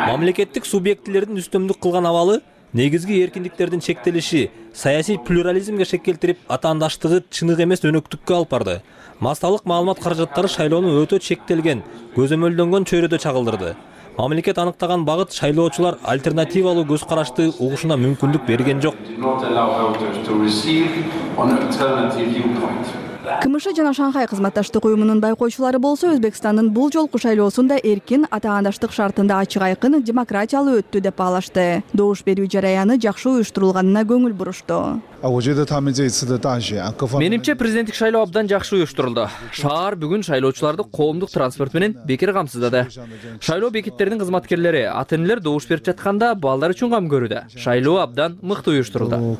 Мамлекеттик субъектилердин үстөмдүк кылган абалы негизги эркиндиктердин чектелиши саясий плюрализмге шек келтирип, атаандаштыгы чыныгы эмес өнөктүккө алып барды. Массалык маалымат каражаттары шайлоону өтө чектелген, көзөмөлдөнгөн чөйрөдө чагылдырды. Мамлекет анықтаған бағыт шайлоочулар альтернативалуу көз карашты угушуна мүмкүндүк берген жок. КМШ жана Шанхай кызматташтык уюмунун байкоочулары болсо Өзбекстандын бул жолку шайлоосунда эркин, атаандаштык шартында ачык айкын, демократиялуу өттү деп баалашты. Добуш берүү жараяны жакшы уюштурулганына көңүл бурушту. Менимче президенттик шайлоо абдан жакшы уюштурулду. Шаар бүгүн шайлоочуларды коомдук транспорт менен бекер камсыздады. Шайлоо бекеттеринин кызматкерлери, ата-энелер добуш берип жатканда балдар үчүн кам көрүүдө. Шайлоо абдан мыкты уюштурулду.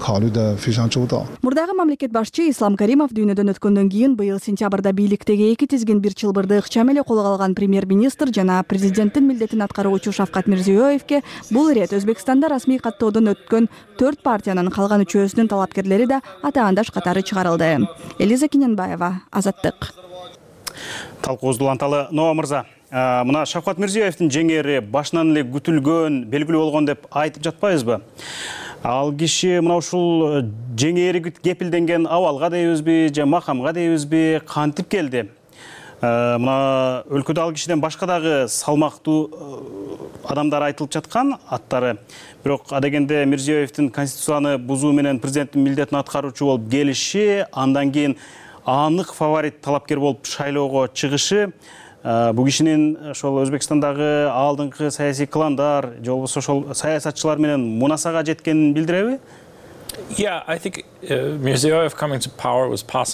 Мурдагы мамлекет башчы Ислам Каримов дүйнөдөн өткөндөн кийин быйыл сентябрда бийликтеги эки тизгин бир чылбырды ыкчам эле колго алган премьер-министр жана президенттин милдетин аткаруучу Шавкат Мирзиёевке бул ирет Өзбекстанда расмий каттоодон өткөн 4 партиянын калган үчөөсүнүн талапкерлери да атаандаш катары чыгарылды. Элиза Киненбаева, Азаттык. Талкуубузду уланталы. Ноа мырза, мына Шавкат Мирзиёевдин жеңери башынан эле күтүлгөн, белгилүү болгон деп айтып жатпайбызбы? Ал киши мына ушул жеңери кепилденген абалга дейбизби, же макамга дейбизби, кантип келди? Мына өлкөдө ал кишиден башка дагы салмактуу адамдар айтылып жаткан аттары. Бирок адегенде Мирзиёевдин конституцияны бузуу менен президенттин милдетин аткаруучу болуп келиши, андан кийин анык фаворит талапкер болуп шайлоого чыгышы бул кишинин ошол Өзбекстандагы алдыңкы саясий кландар же болбосо ошол саясатчылар менен мунасага жеткенин билдиреби?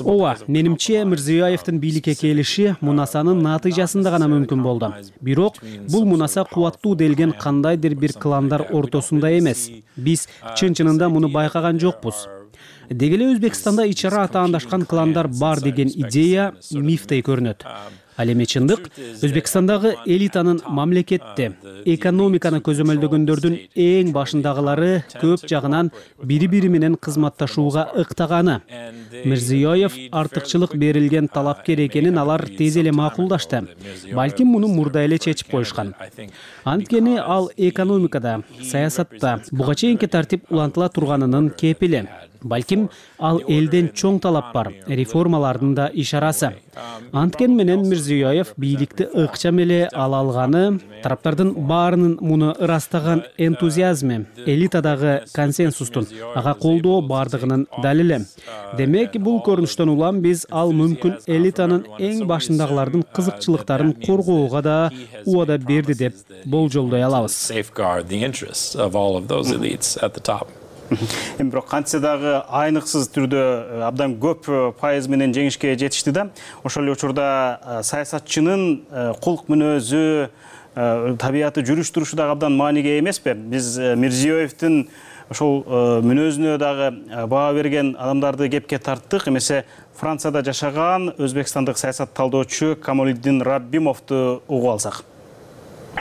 Ооба, менимче Мирзиёевдин бийликке келиши мунасанын натыйжасында гана мүмкүн болду. Бирок бул мунаса кубаттуу делген кандайдыр бир кландар ортосунда эмес. Биз чын-чынында муну байкаган жокпуз. Деги эле Өзбекстанда ичара атаандашкан кландар бар деген идея мифтей көрүнөт. Ал эми чындык Өзбекстандагы элитанын мамлекетте экономиканы көзөмөлдөгөндөрдүн эң башындагылары көп жагынан бири-бири менен кызматташууга ыктаганы. Мирзиёев артыкчылык берилген талапкер экенин алар тез эле макулдашты. Балким муну мурда эле чечип коюшкан. Анткени ал экономикада, саясатта буга чейинки тартип улантыла турганынын кепили. Балким ал элден чоң талап бар, реформалардын да ишарасы. Анткени менен Мирзиёев бийликти ыкчам эле ала алганы, тараптардын баарынын муну ырастаган энтузиазми, элитадагы консенсустун ага колдоо бардыгынын далили. Демек, бул көрүнүштөн улам биз ал мүмкүн элитанын эң башындагылардын кызыкчылыктарын коргоого да убада берди деп болжолдой алабыз. Бирок кантсе дагы айныксыз түрдө абдан көп пайыз менен жеңишке жетишти да. Ошол эле учурда саясатчынын кулк мүнөзү, табияты, жүрүш турушу дагы абдан мааниге эмеспи? Биз Мирзиёевдин ошол мүнөзүнө дагы баа берген адамдарды кепке тарттык. Эмесе Францияда жашаган өзбекстандык саясат талдоочу Камолиддин Раббимовду угуп алсак.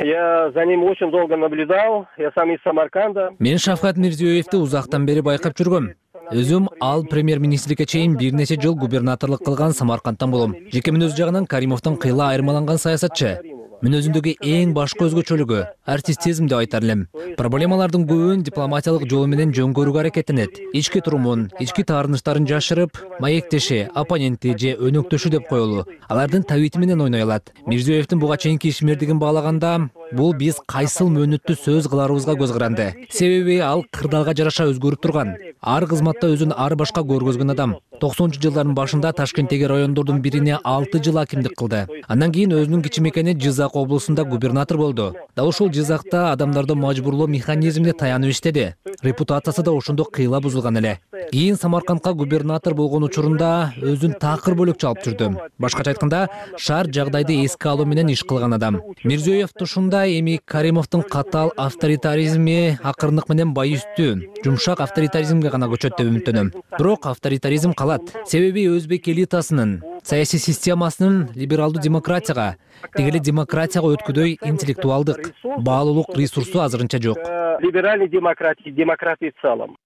Я за ним очень долго наблюдал, я сам из Самарканда. Мен Шавкат Мирзиёевди узактан бери байкап жүргөм. Өзүм ал премьер-министрликке чейин бир нече жыл губернаторлук кылган Самаркандтан болом. Жеке мүнөз жагынан Каримовдон кыйла айырмаланган саясатчы. Мүнөзүндөгү эң башкы өзгөчөлүгү артистизм деп айтар элем. Проблемалардын көбүн дипломатиялык жол менен жөнгөрүүгө аракеттенет. Ички турумун, ички таарынычтарын жашырып, маектеши, оппоненти же өнөктөшү деп коелу. Алардын табити менен ойной алат. Мирзиёевдин буга чейинки ишмердигин баалаганда, бул биз кайсыл мөөнөттү сөз кыларыбызга көз каранды. Себеби ал кырдаалга жараша өзгөрүп турган. Ар кызматта өзүн ар башка көргөзгөн адам. 90-жылдардын башында Ташкенттеги райондордун бирине 6 жыл акимдик кылды. Андан кийин өзүнүн кичи мекени Жизак облусунда губернатор болду. Дал ушул Жизакта адамдарды мажбурлоо механизмине таянып иштеди. Репутациясы да ошондо кыйла бузулган эле. Кийин Самаркандка губернатор болгон учурунда өзүн такыр бөлөкчү алып жүрдү. Башкача айтканда, шаар жагдайды эске алуу менен иш кылган адам. Мирзиёев ушундай, эми Каримовдун катаал авторитаризми акырындык менен байүстүү, жумшак авторитаризмге гана көчөт деп үмүттөнөм. Бирок авторитаризм калат. Себеби өзбек элитасынын, саясий системасынын либералдуу демократияга, тегеле демократияга өткүдөй интеллектуалдык, баалуулук ресурсу азырынча жок. Либеральный демократии в целом.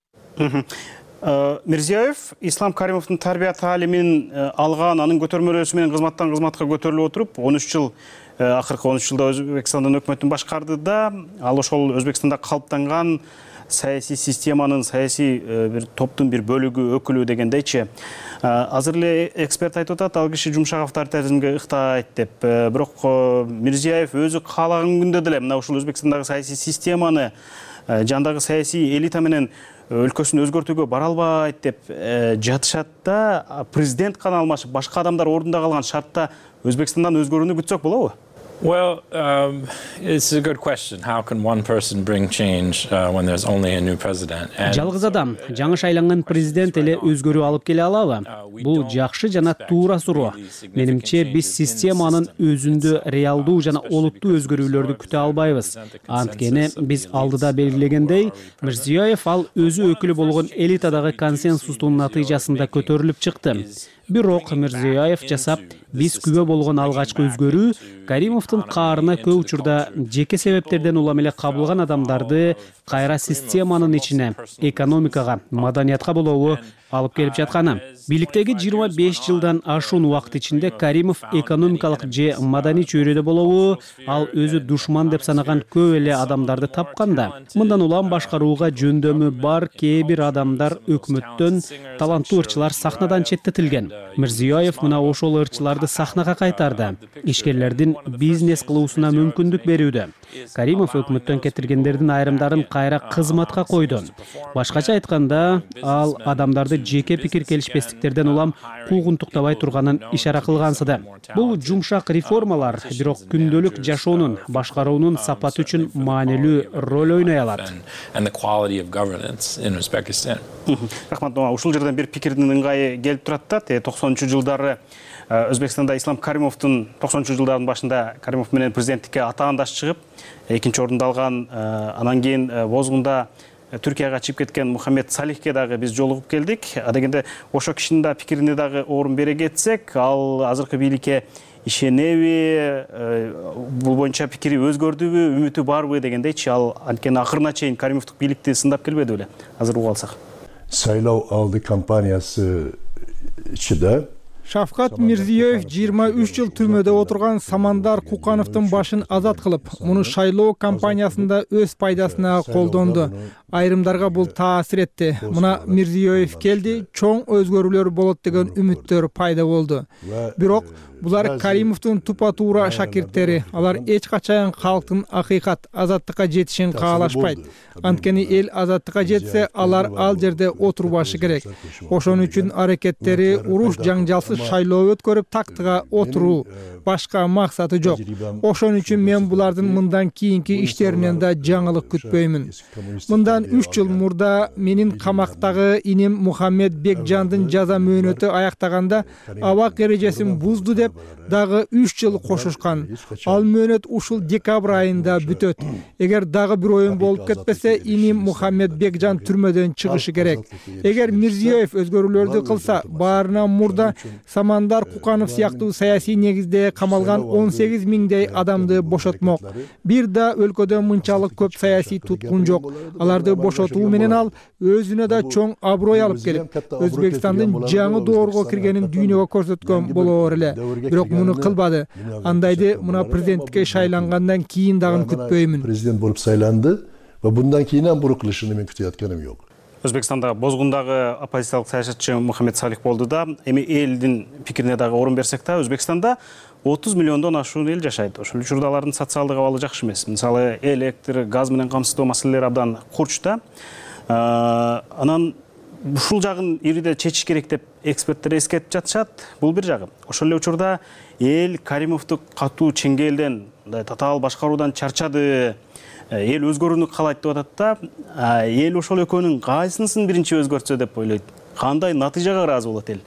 Мирзиёев Ислам Каримовдун тарбия таалимин алган, анын көтөрмөлөөсү менен кызматтан кызматка көтөрүлүп отуруп, 13 жыл акыркы 13 жылда Өзбекстандын өкмөтүн башкарды да, ал ошол Өзбекстанда калыптанган саясий системанын, саясий бир топтун бир бөлүгү, өкүлү дегендейчи. Азыр эле эксперт айтып атат, ал киши жумшак авторитаризмге ыктайт деп. Бирок Мирзиёев өзү каалаган күндө деле мына ушул Өзбекстандагы саясий системаны, жандагы саясий элита менен өлкөсүн өзгөртүүгө бара албайт деп жатышат да, президент гана алмашып, башка адамдар ордунда калган шартта Өзбекстандан өзгөрүүнү күтсөк болобу? Well, it's a good question. How can one person bring change when there's only a new president? Жалгыз адам, жаңы шайланган президент эле өзгөрүү алып келе алабы? Бул жакшы жана туура суроо. Менимче биз системанын өзүндө реалдуу жана олуттуу өзгөрүүлөрдү күтө албайбыз. Анткени биз алдыда белгилегендей, Мирзиёев ал өзү өкүлү болгон элитадагы консенсустун натыйжасында көтөрүлүп чыкты. Бирок Мирзиёев жасап, биз күбө болгон алгачкы өзгөрүү Каримовдун каарына көп учурда жеке себептерден улам эле кабылган адамдарды кайра системанын ичине, экономикага, маданиятка болобу алып келип жатканы. Бийликтеги 25 жылдан ашуун убакыт ичинде Каримов экономикалык же маданий чөйрөдө болобу, ал өзү душман деп санаган көп эле адамдарды тапканда. Мындан улам башкарууга жөндөмү бар кээ бир адамдар өкмөттөн, таланттуу ырчылар сахнадан четтетилген. Мирзиёев мына ошол ырчыларды сахнага кайтарды. Ишкерлердин бизнес кылуусуна мүмкүндүк берүүдө. Каримов өкмөттөн кетиргендердин айрымдарын кайра кызматка койду. Башкача айтканда, ал адамдарды жеке пикир келишпестиктерден улам куугунтуктабай турганын ишара кылгансыды. Бул жумшак реформалар бирок күндөлүк жашоонун, башкаруунун сапаты үчүн маанилүү роль ойной алат. Рахмат, ушул жерден бир пикирдин ыңгайы келип турат да, 90-жылдары Өзбекстанда Ислам Каримовдун 90-жылдардын башында Каримов менен президенттикке атаандаш чыгып, экинчи орунду алган, анан кийин бозгунда Түркияга чыгып кеткен Мухаммед Салихке дагы биз жолугуп келдик. Дегенде ошо кишинин да пикирине дагы орун бере кетсек, ал азыркы бийликке ишенеби, бул боюнча пикири өзгөрдүбү, үмүтү барбы дегендейчи, ал анткени акырына чейин Каримовдук бийликти сындап келбеди беле. Азыр угуп алсак. Сайлоо алды кампаниясы ичинде Шавкат Мирзиёев 23 жыл түрмөдө отурган Самандар Кукановдун башын азат кылып, муну шайлоо кампаниясында өз пайдасына колдонду. Айрымдарга бул таасир этти. Мына Мирзиёев келди, чоң өзгөрүүлөр болот деген үмүттөр пайда болду. Бирок булар Каримовдун тупа-туура шакирттери. Алар эч качан калктын акыйкат, азаттыкка жетишин каалашпайт. Анткени эл азаттыкка жетсе, алар ал жерде отурбашы керек. Ошон үчүн аракеттери уруш жаңжалсыз шайлоо өткөрүп тактыга отуруу, башка максаты жок. Ошон үчүн мен булардын мындан кийинки иштеринен да жаңылык күтпөймүн. Мындан 3 жыл мурда менин камактагы иним Мухаммед Бекжандын жаза мөөнөтү аяктаганда абак эрежесин бузду деп дагы 3 жыл кошушкан. Ал мөөнөт ушул декабрь айында бүтөт. Эгер дагы бир оюн болуп кетпесе, иним Мухаммед Бекжан түрмөдөн чыгышы керек. Эгер Мирзиёев өзгөрүүлөрдү кылса, баарынан мурда Самандар Куканов сыяктуу саясий негизде камалган 18 миңдей адамды бошотмок. Бир да өлкөдө мынчалык көп саясий туткун жок. Аларды бошотуу менен ал өзүнө да чоң аброй алып келип, Өзбекстандын жаңы доорго киргенин дүйнөгө көрсөткөн болоор эле. Бирок муну кылбады. Андайды мына президенттикке шайлангандан кийин дагы күтпөймүн. Президент болуп сайланды ва bundan кийинен бурук кылышын мен күтүп атканым жок. Өзбекстанда бозгундагы оппозициялык саясатчы Мухаммед Салих болду да, эми элдин пикирине дагы орун берсек да, Өзбекстанда 30 миллиондон ашуун эл жашайт. Ошол учурда алардын социалдык абалы жакшы эмес. Мисалы, электр, газ менен камсыздоо маселелери абдан курч да. Анан ушул жагын ириде чечиш керек деп эксперттер эскертип жатышат. Бул бир жагы. Ошол эле учурда эл Каримовду катуу чеңгелден, татаал башкаруудан чарчады. Эл өзгөрүүнү каалайт деп атат да, эл ошол экөөнүн кайсынысын биринчи өзгөртсө деп ойлойт. Кандай натыйжага ыраазы болот эл?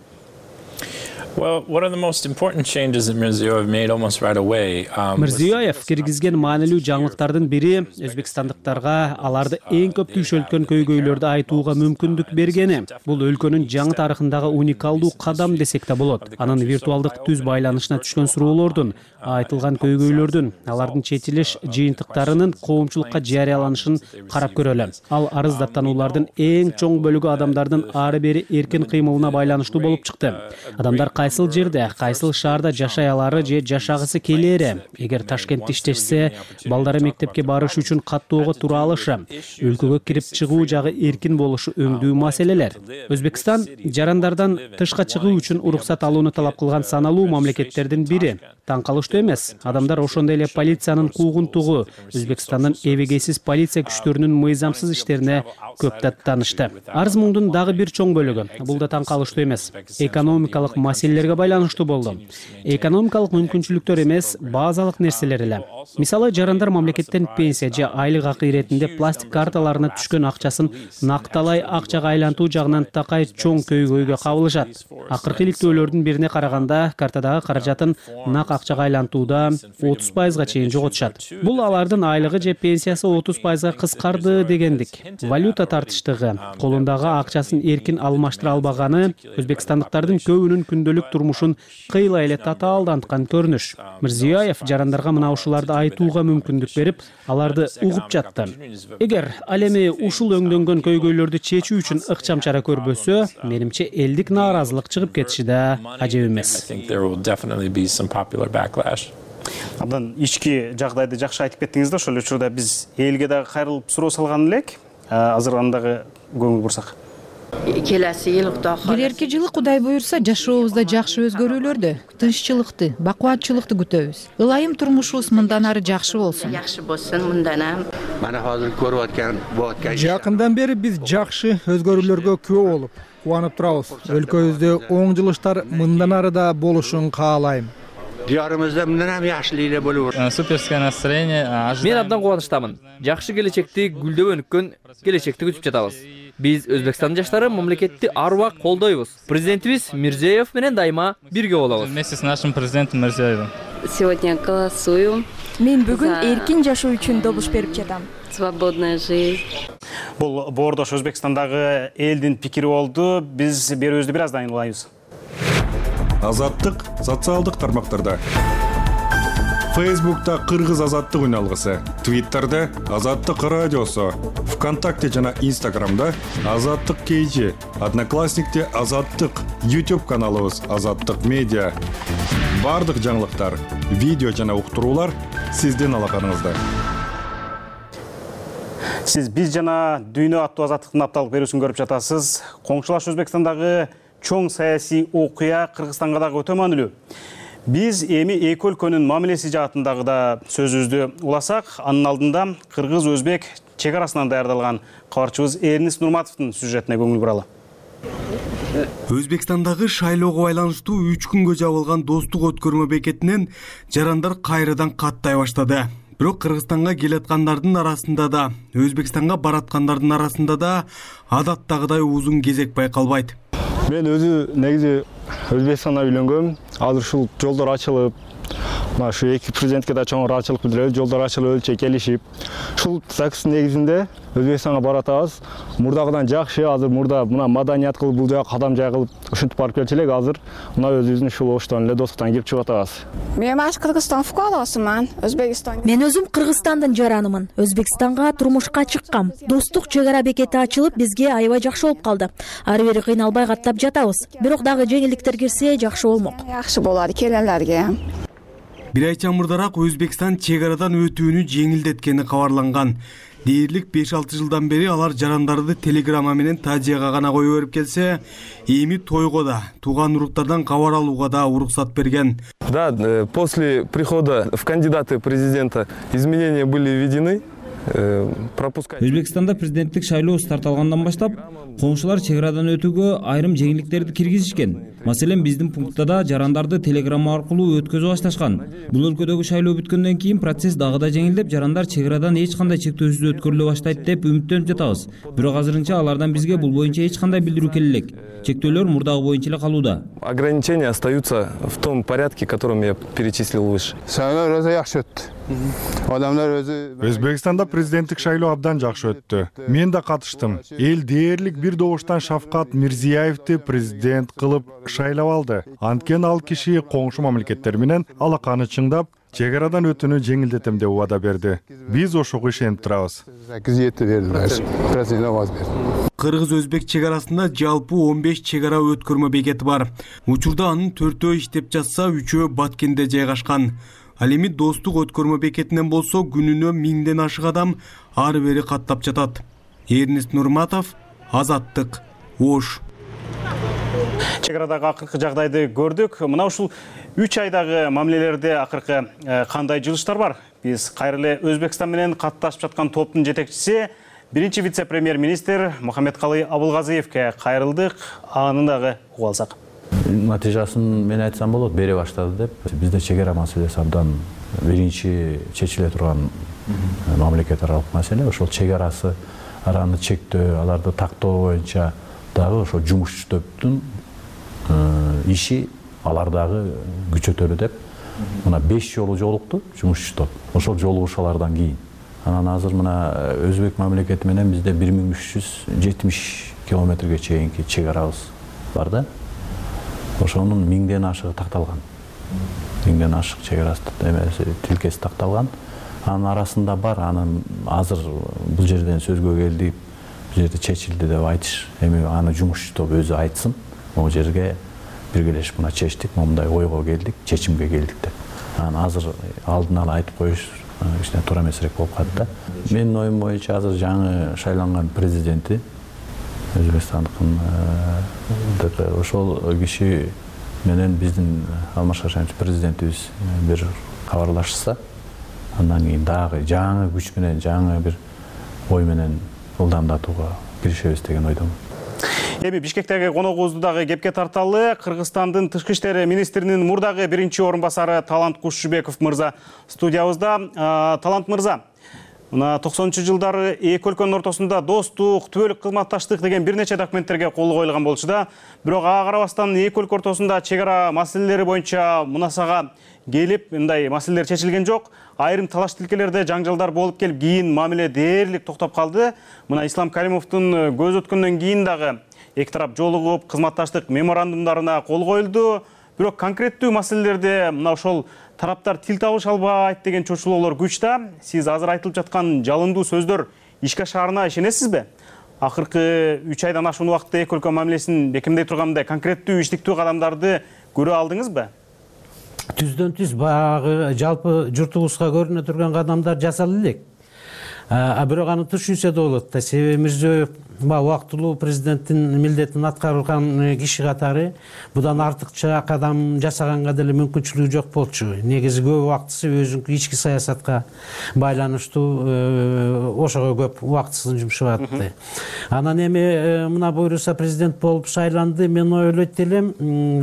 Well, one of the most important changes that Mirziyoyev made almost right away. Мирзиёев киргизген маанилүү жаңылыктардын бири өзбекстандыктарга аларды эң көп түйшөлткөн көйгөйлөрдү айтууга мүмкүндүк бергени. Бул өлкөнүн жаңы тарыхындагы уникалдуу кадам десек да болот. Анын виртуалдык түз байланышына түшкөн суроолордун, айтылган көйгөйлөрдүн, алардын чечилиш жыйынтыктарынын коомчулукка жарыяланышын карап көрөлү. Ал арыздаттануулардын эң чоң бөлүгү адамдардын ары бери эркин кыймылына байланыштуу болуп чыкты. Адамдар кайсыл жерде, кайсыл шаарда жашай алары же жашагысы келери, эгер Ташкентте иштешсе, балдары мектепке барыш үчүн каттоого тура алышы, өлкөгө кирип чыгуу жагы эркин болушу өңдүү маселелер. Өзбекстан жарандардан тышка чыгуу үчүн уруксат алууну талап кылган саналуу мамлекеттердин бири. Таң калыштуу эмес, адамдар ошондой эле полициянын куугунтугу, Өзбекстандын эбегейсиз полиция күчтөрүнүн мыйзамсыз иштерине көп даттанышты. Арыз муңдун дагы бир чоң бөлүгү, бул да таң калыштуу эмес, экономикалык маселелерге байланыштуу болду. Экономикалык мүмкүнчүлүктөр эмес, базалык нерселер эле. Мисалы, жарандар мамлекеттен пенсия же айлык акы иретинде пластик карталарына түшкөн акчасын накталай акчага айлантуу жагынан такай чоң көйгөйгө кабылышат. Акыркы иликтөөлөрдүн бирине караганда, картадагы каражатын нак акчага айлантууда 30%га чейин жоготушат. Бул алардын айлыгы же пенсиясы 30%га кыскарды дегендик. Валюта тартыштыгы, колундагы акчасын эркин алмаштыра албаганы өзбекстандыктардын көбүнүн күндөлүк турмушун кыйла эле татаалданткан көрүнүш. Мирзиёев жарандарга мына ушуларды айтууга мүмкүндүк берип, аларды угуп жатты. Эгер ал эми ушул өңдөнгөн көйгөйлөрдү чечүү үчүн ыкчам чара көрбөсө, менимче элдик нааразылык чыгып кетиши да ажеп эмес. Абдан ички жагдайды жакшы айтып кеттиңиз да, ошол учурда биз элге дагы кайрылып суроо салган элек. Азыр андагы көңүл бурсак. Келерки жылы Кудай буйрса жашообузда жакшы өзгөрүүлөрдү, тынччылыкты, бакубатчылыкты күтөбүз. Ылайым турмушубуз мындан ары жакшы болсун. Жакындан бери биз жакшы өзгөрүүлөргө күбө болуп, кубанып турабыз. Өлкөбүздө оң жылыштар мындан ары да болушун каалайм. Диярымызда мындан ham yaxshiligilar bo'lib o'tadi. Суперское настроение. Мен абдан кубанычтамын. Жакшы келечекти гүлдөп өнүккөн келечекти күтүп жатабыз. Биз Өзбекстандын жаштары мамлекетти ар убакыт колдойбуз. Президентибиз Мирзиёев менен дайыма бирге болобуз. Вместе с нашим президентом Мирзиёевым. Сегодня голосую. Мен бүгүн эркин жашоо үчүн добуш берип жатам. Свободная жизнь. Бул боордош Өзбекстандагы элдин пикири болду. Биз берүүбүздү бир аздан улайбыз. Азаттык социалдык тармактарда. Фейсбукта Кыргыз азаттык үналгысы, Твиттерде Азаттык радиосу, ВКонтакте жана Инстаграмда Азаттык KG, Одноклассникте Азаттык, YouTube каналыбыз Азаттык медиа. Бардык жаңылыктар, видео жана уктуруулар сиздин алаканыңызда. Сиз биз жана дүйнө аттуу азаттыктын апталык берүүсүн көрүп жатасыз. Коңшулаш Өзбекстандагы чоң саясий окуя Кыргызстанга дагы өтө маанилүү. Биз эми эки өлкөнүн мамилеси жаатындагы да сөзүбүздү уласак, анын алдында кыргыз-өзбек чек арасынан даярдалган кабарчыбыз Эрнис Нурматовдун сюжетине көңүл буралы. Өзбекстандагы шайлоого байланыштуу 3 күнгө жабылган достук өткөрмө бекетинен жарандар кайрадан каттай баштады. Бирок Кыргызстанга келаткандардын арасында да, Өзбекстанга бараткандардын арасында да адаттагыдай узун кезек байкалбайт. Мен өзү негизи Өзбекстанда үйлөнгөм. Азыр ушул жолдор ачылып, мына шу эки президентке да чоң ыраазычылык билдиребиз. Жолдор ачылып, өлчө келишип. Ушул ЗАГСтын негизинде Өзбекстанга баратабыз. Мурдагыдан жакшы, азыр мурда мына маданият кылып, бул жака кадам жай кылып, ушинтип барып келчү элек. Азыр мына өзүбүздүн ушул оштон эле достуктан кирип чыгып атабыз. Мен Кыргызстан фукарасымын. Өзбекстан. Мен өзүм Кыргызстандын жаранымын. Өзбекстанга турмушка чыккам. Достук чек ара бекети ачылып, бизге аябай жакшы болуп калды. Ары бери кыйналбай каттап жатабыз. Бирок дагы жеңилдиктер кирсе жакшы болмок. Жакшы болот келгендерге. Бир ай чамырдараак Өзбекстан чек арадан өтүүнү жеңилдеткени кабарланган. Дээрлик 5-6 жылдан бери алар жарандарды телеграмма менен тажияга гана кое берип келсе, эми тойго да, тууган уруктардан кабар алууга да уруксат берген. Да, после прихода в кандидаты президента изменения были введены. Өзбекстанда президенттик шайлоо старт алгандан баштап коңшулар чек арадан өтүүгө айрым жеңилдиктерди киргизишкен. Маселен, биздин пунктта да жарандарды телеграмма аркылуу өткөзүп башташкан. Бул өлкөдөгү шайлоо бүткөндөн кийин процесс дагы да жеңилдеп, жарандар чек арадан эч кандай чектөөсүз өткөрүлө баштайт деп үмүттөнүп жатабыз. Бирок азырынча алардан бизге бул боюнча эч кандай билдирүү келе элек. Чектөөлөр мурдагы боюнча эле калууда. Ограничения остаются в том порядке, которым я перечислил выше. Өзбекстанда президенттик шайлоо абдан жакшы өттү. Мен да катыштым. Эл дээрлик бир добуштан Шавкат Мирзиёевди президент кылып шайлап алды. Анткени ал киши коңшу мамлекеттер менен алаканы чыңдап, чек арадан өтүүнү жеңилдетем деп убада берди. Биз ошого ишенип турабыз. кыргыз-өзбек чек арасында жалпы 15 чек ара өткөрмө бекети бар. Учурда анын 4-өө иштеп жатса, 3-өө Баткенде жайгашкан. Ал эми Достук өткөрмө бекетинен болсо күнүнө 1000ден ашык адам ары бери каттап жатат. Эрнест Нурматов, Азаттык, Ош. Чек арадагы акыркы жагдайды көрдүк. Мына ушул 3 айдагы мамилелерде акыркы кандай жылыштар бар? Биз кайрылы Өзбекстан менен катташып жаткан топтун жетекчиси, биринчи вице-премьер-министр Мухаммедкалый Абылгазиевке кайрылдык. Аны дагы угуп алсак. Натыйжасын мен айтсам болот, бере баштады деп. Бизде чек ара маселеси абдан биринчи чечиле турган мамлекет аралык маселе. Ошол чек араны чектөө, аларды тактоо боюнча дагы ошо жумушчу топтун иши алардагы күчөтөлү деп. Мына 5 жолу жолукту жумушчу топ. Ошол жолугушалардан кийин. Анан азыр мына Өзбек мамлекети менен бизде 1370 километрге чейинки чек арабыз бар да. Ошонун 1000ден ашыгы такталган. 1000ден ашык чек арасы тилкеси такталган. Анын арасында бар, анын азыр бул жерден сөзгө келди, бул жерде чечилди деп айтыш. Эми аны жумушчу топ өзү айтсын. Могу жерге биргелешип мына чечтик, момундай ойго келдик, чечимге келдик деп. Анан азыр алдын ала айтып коюш кичине туура эмесирээк болуп калды да. Менин оюм боюнча азыр жаңы шайланган президенти Өзбекстандыкын ошол киши менен биздин Алмаз Шарипов президентибиз бир кабарлашса, андан кийин дагы жаңы күч менен, жаңы бир ой менен ылдамдатууга киришебиз деген ойдомун. Эми Бишкектеги коногубузду дагы кепке тарталы. Кыргызстандын тышкы иштер министринин мурдагы биринчи орун басары Талант Кушчубеков мырза студиябызда. Талант мырза, мына 90-жылдары эки өлкөнүн ортосунда достук, түбөлүк кызматташтык деген бир нече документтерге кол коюлган болчу да. Бирок ага карабастан эки өлкө ортосунда чек ара маселелери боюнча мунасага келип, мындай маселелер чечилген жок. Айрым талаш тилкелерде жаңжалдар болуп келип, кийин мамиле дээрлик токтоп калды. Мына Ислам Каримовдун көз өткөндөн кийин дагы эки тарап жолугуп, кызматташтык меморандумдарына кол коюлду. Бирок конкреттүү маселелерде мына ошол тараптар тил табыша албайт деген чочулоолор күч да. Сиз азыр айтылып жаткан жалындуу сөздөр ишке ашаарына ишенесизби? Акыркы 3 айдан ашуун убакытта эки өлкө мамилесин бекемдей тургандай конкреттүү иштиктүү кадамдарды көрө алдыңызбы? Түздөн түз баягы жалпы журтубузга көрүнө турган кадамдар жасала элек. Бирок аны түшүнсө да болот да. Себеби Мирзиёев убактылуу президенттин милдетин аткарган киши катары будан артыкча кадам жасаганга деле мүмкүнчүлүгү жок болчу. Негизи көп убактысы өзүнүн ички саясатка байланыштуу, ошого көп убактысын жумшап атты. Анан эми мына буйруса президент болуп шайланды. Мен ойлойт элем,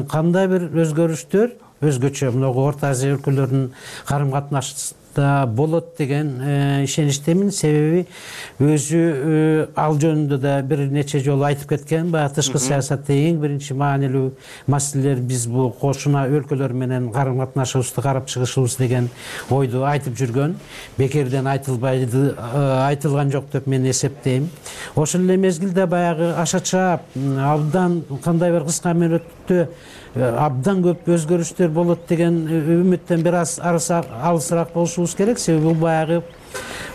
кандай бир өзгөрүштөр өзгөчө мына Орто Азия өлкөлөрүнүн карым катнашында болот деген ишеничтемин. Себеби өзү ал жөнүндө да бир нече жолу айтып кеткен. Баягы тышкы саясатта эң биринчи маанилүү маселелер биз бул кошуна өлкөлөр менен карым катнашыбызды карап чыгышыбыз деген ойду айтып жүргөн. Бекерден айтылбайды, айтылган жок деп мен эсептейм. Ошол эле мезгилде баягы ашача абдан кандай бир кыска мөөнөттө абдан көп өзгөрүштөр болот деген үмүттөн бир аз алысыраак болушубуз керек. Себеби бул баягы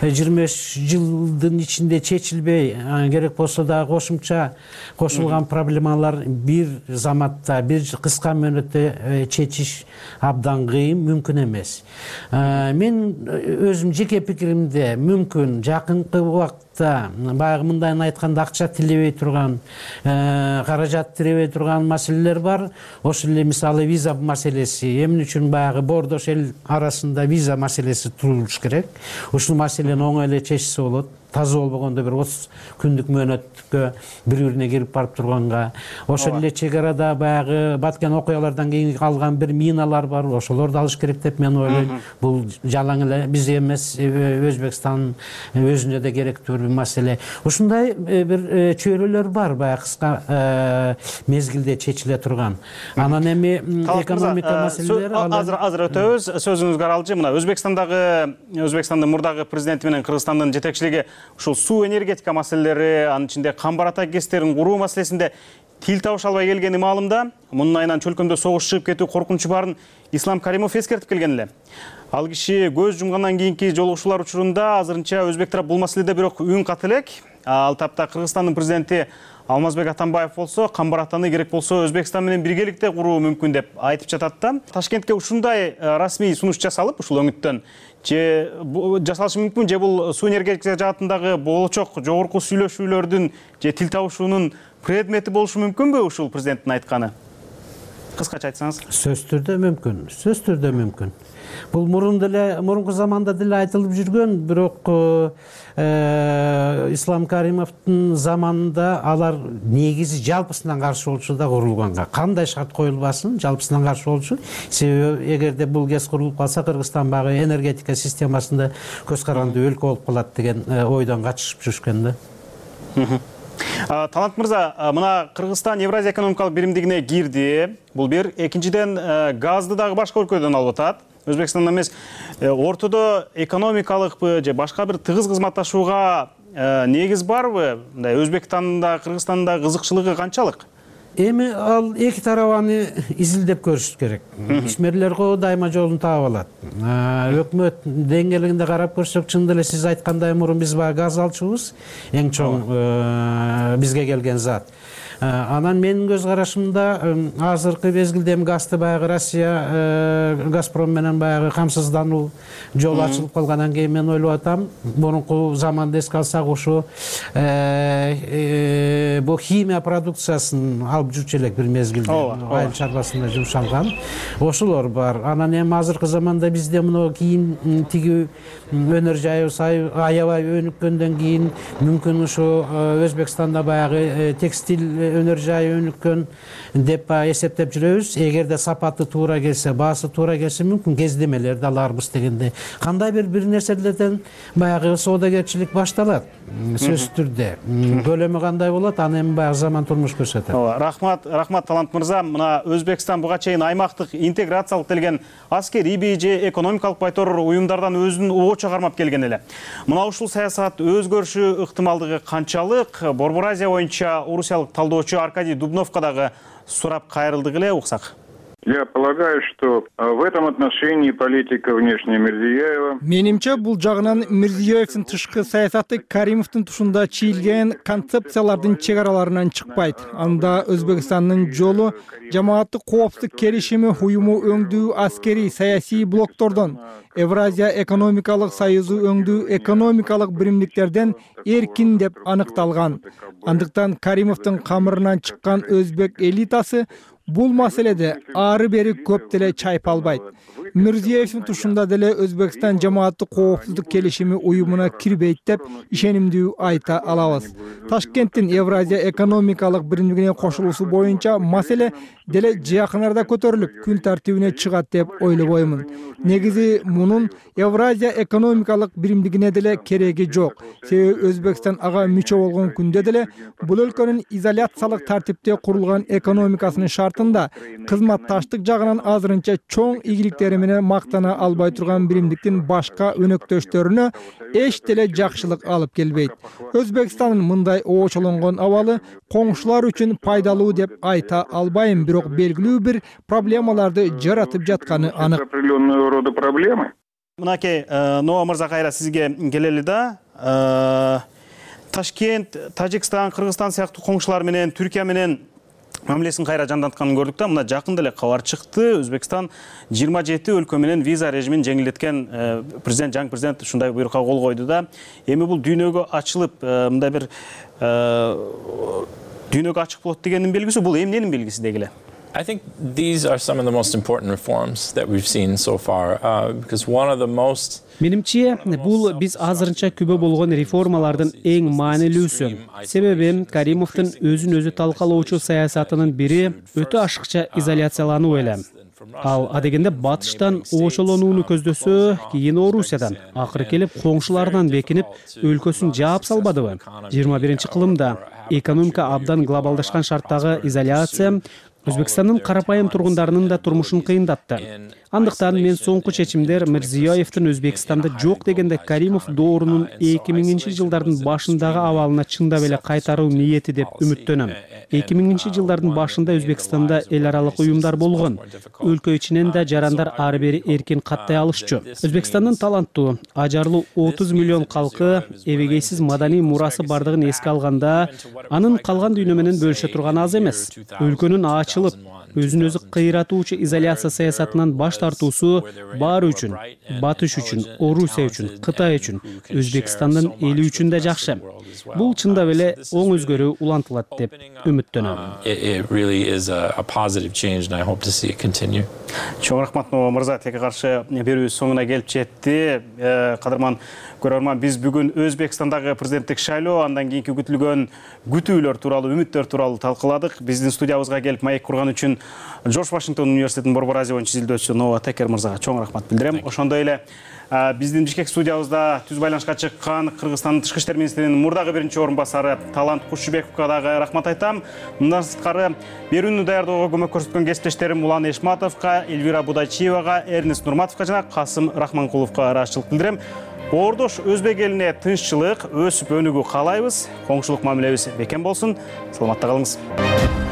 25 жылдын ичинде чечилбей, керек болсо да кошумча кошулган проблемалар бир заматта, бир кыска мөөнөттө чечиш абдан кыйын, мүмкүн эмес. Мен өзүм жеке пикиримде мүмкүн жакынкы убакытта баягы мындайын айтканда акча тилебей турган, каражат тиребей турган маселелер бар. Ошол эле мисалы виза маселеси. Эмне үчүн баягы бордош эл арасында виза маселеси турулуш керек. Ушул маселени оңой эле чечсе болот. Таза болбогондо бир 30 күндүк мөөнөткө бири-бирине кирип барып турганга. Ошол эле чек арада баягы Баткен окуялардан кийин калган бир миналар бар. Ошолорду алыш керек деп мен ойлойм. Бул жалаң эле биз эмес, Өзбекстан өзүнө да керектүү бир маселе. Ушундай бир чөйрөлөр бар баягы кыска мезгилде чечиле турган. Анан эми экономика маселелери азыр өтөбүз. Сөзүңүзгө аралжы. Мына Өзбекстандын мурдагы президенти менен Кыргызстандын жетекчилиги ушул суу энергетика маселелери, анын ичинде камбар ата кестерин куруу маселесинде тил табыша албай келгени маалымда. Мунун айынан чөлкөмдө согуш чыгып кетүү коркунучу барын Ислам Каримов эскертип келген эле. Ал киши көз жумгандан кийинки жолугушуулар учурунда азырынча өзбек тарап бул маселеде бирок үн каты элек. Ал тапта Кыргызстандын президенти Алмазбек Атамбаев болсо, Камбар Атаны керек болсо Өзбекстан менен биргеликте куруу мүмкүн деп айтып жатат да. Ташкентке ушундай расмий сунуш жасалып, ушул өңүттөн же жасалышы мүмкүн, же бул суу энергетика жаатындагы болочок жогорку сүйлөшүүлөрдүн же тил табышуунун предмети болушу мүмкүнбү ушул президенттин айтканы? Кыскача айтсаңыз. Сөз түрдө мүмкүн. Бул мурунку заманда деле айтылып жүргөн, бирок Ислам Каримовдун заманында алар негизи жалпысынан каршы болчу да курулганга. Кандай шарт коюлбасын, жалпысынан каршы болчу. Себеби эгерде бул ГЭС курулуп калса, Кыргызстан багы энергетика системасында көз каранды өлкө болуп калат деген ойдон качышып жүрүшкөн да. Талант мырза, мына Кыргызстан Евразия экономикалык биримдигине кирди. Бул бир. Экинчиден, газды дагы башка өлкөдөн алып атат. Өзбекстандан эмес, ортодо экономикалыкпы же башка бир тыгыз кызматташууга негиз барбы? Мындай Өзбекстанда, Кыргызстанда кызыкчылыгы канчалык? Эми ал эки тарабаны изилдеп көрүш керек. Ишмерлер дайыма жолун таап алат. Өкмөт деңгээлинде карап көрсөк, чын эле сиз айткандай мурун биз баягы газ алчубуз, эң чоң бизге келген зат. Анан менин көз карашымда азыркы мезгилде газды баягы Россия Газпром менен баягы камсыздануу жол ачылып калгандан кийин мен ойлоп атам, мурунку заманды эске алсак ошо бул химия продукциясын алып жүрчү элек бир мезгилде айыл чарбасында жумшалган. Ошолор бар. Анан эми азыркы заманда бизде мына кийин тиги өнөр жайыбыз аябай өнүккөндөн кийин мүмкүн ошо Өзбекстанда баягы текстиль өнөр жайы өнүккөн деп эсептеп жүрөбүз. Эгерде сапаты туура келсе, баасы туура келсе, мүмкүн кездемелерди аларбыз дегенде. Кандай бир нерселерден баягы соодагерчилик башталат. Сөзсүз түрдө. Көлөмү кандай болот, аны эми баягы заман турмуш көрсөтөт. Рахмат Талант мырза. Мына Өзбекстан буга чейин аймактык интеграциялык делген аскерий же экономикалык байтор уюмдардан өзүн оо чыгармап келген эле. Мына ушул саясат өзгөрүшү ыктымалдыгы канчалык? Борбор Азия боюнча орусиялык талдоочу Аркадий Дубновго дагы сурап кайрылдык эле, уксак. Я полагаю, что в этом отношении политика внешняя Мирзиёева. Менимче, бул жагынан Мирзиёевдин тышкы саясаты Каримовдун тушунда чийилген концепциялардын чек араларынан чыкпайт. Анда Өзбекстандын жолу жамааттык коопсуздук келишими уюму өңдүү аскерий саясий блоктордон, Евразия экономикалык союзу өңдүү экономикалык биримдиктерден эркин деп аныкталган. Андыктан Каримовдун камырынан чыккан өзбек элитасы бул маселеде ары бери көп деле чайпалбайт. Мирзиёевдин тушунда деле Өзбекстан жамааттык коопсуздук келишими уюмуна кирбейт деп ишенимдүү айта алабыз. Ташкенттин Евразия экономикалык биримдигине кошулуусу боюнча маселе деле жакын арада көтөрүлүп, күн тартибине чыгат деп ойлобоймун. Негизи мунун Евразия экономикалык биримдигине деле кереги жок. Себеби Өзбекстан ага мүчө болгон күндө деле бул өлкөнүн изоляциялык тартипте курулган экономикасынын шартында кызматташтык жагынан азырынча чоң ийгиликтери менен мактана албай турган биримдиктин башка өнөктөштөрүнө эч деле жакшылык алып келбейт. Өзбекстандын мындай оочолонгон абалы коңшулар үчүн пайдалуу деп айта албайм, бирок белгилүү бир проблемаларды жаратып жатканы анык. Определенного рода проблемы. Мынакей, Ноа мырза, кайра сизге келели да. Ташкент, Тажикстан, Кыргызстан сыяктуу коңшулар менен, Түркия менен мамилесин кайра жандантканын көрдүк да. Мына жакында эле кабар чыкты. Өзбекстан 27 өлкө менен виза режимин жеңилдеткен жаңы президент ушундай буйрукка кол койду да. Эми бул дүйнөгө ачылып, мындай бир дүйнөгө ачык болот дегендин белгиси, бул эмненин белгиси дегиле? I think these are some of the most important reforms that we've seen so far, because one of the most Менимче, бул биз азырынча күбө болгон реформалардын эң маанилүүсү. Себеби Каримовдун өзүн өзү талкалоочу саясатынын бири өтө ашыкча изоляциялануу эле. Ал адегенде батыштан оочолонууну көздөсө, кийин Орусиядан, акыры келип коңшуларынан бекинип, өлкөсүн жаап салбадыбы? 21-кылымда экономика абдан глобалдашкан шарттагы изоляция Өзбекстандын карапайым тургундарынын да турмушун кыйындатты. Андыктан мен соңку чечимдер Мирзиёевдин Өзбекстанда жок дегенде Каримов доорунун 2000-жылдардын башындагы абалына чындап эле кайтаруу ниети деп үмүттөнөм. 2000-жылдардын башында Өзбекстанда эл аралык уюмдар болгон. Өлкө ичинен да жарандар ары бери эркин каттай алышчу. Өзбекстандын таланттуу, ажарлуу 30 миллион калкы эбегейсиз маданий мурасы бардыгын эске алганда, анын калган дүйнө менен бөлүшө турганы аз эмес. Өлкөнүн ачылып, өзүн өзү кыйратуучу изоляция саясатынан баш тартуусу баары үчүн, Батыш үчүн, Орусия үчүн, Кытай үчүн, Өзбекстандын эли үчүн да жакшы. Бул чындап эле оң өзгөрүү улантылат деп үмүттөнөм. Чоң рахмат мырза, тилекке каршы берүүбүз соңуна келип жетти. Кадырман көрөрман, биз бүгүн Өзбекстандагы президенттик шайлоо, андан кийинки күтүлгөн күтүүлөр тууралуу, үмүттөр тууралуу талкыладык. Биздин студиябызга келип маек курган үчүн Жорж Вашингтон университетинин Борбор Азия боюнча изилдөөчүсү Нова Текер мырзага чоң рахмат билдирем. Ошондой эле биздин Бишкек студиябызда түз байланышка чыккан Кыргызстандын Тышкы иштер министринин мурдагы биринчи орун басары Талант Кушубековго дагы рахмат айтам. Мындан сырткары берүүнү даярдоого көмөк көрсөткөн кесиптештерим Улан Эшматовго, Эльвира Будачиевага, Эрнест Нурматовго жана Касым Рахманкуловго ыраазычылык билдирем. Боордош өзбек элине тынччылык, өсүп өнүгүү каалайбыз. Коңшулук мамилебиз бекем болсун. Саламатта калыңыз.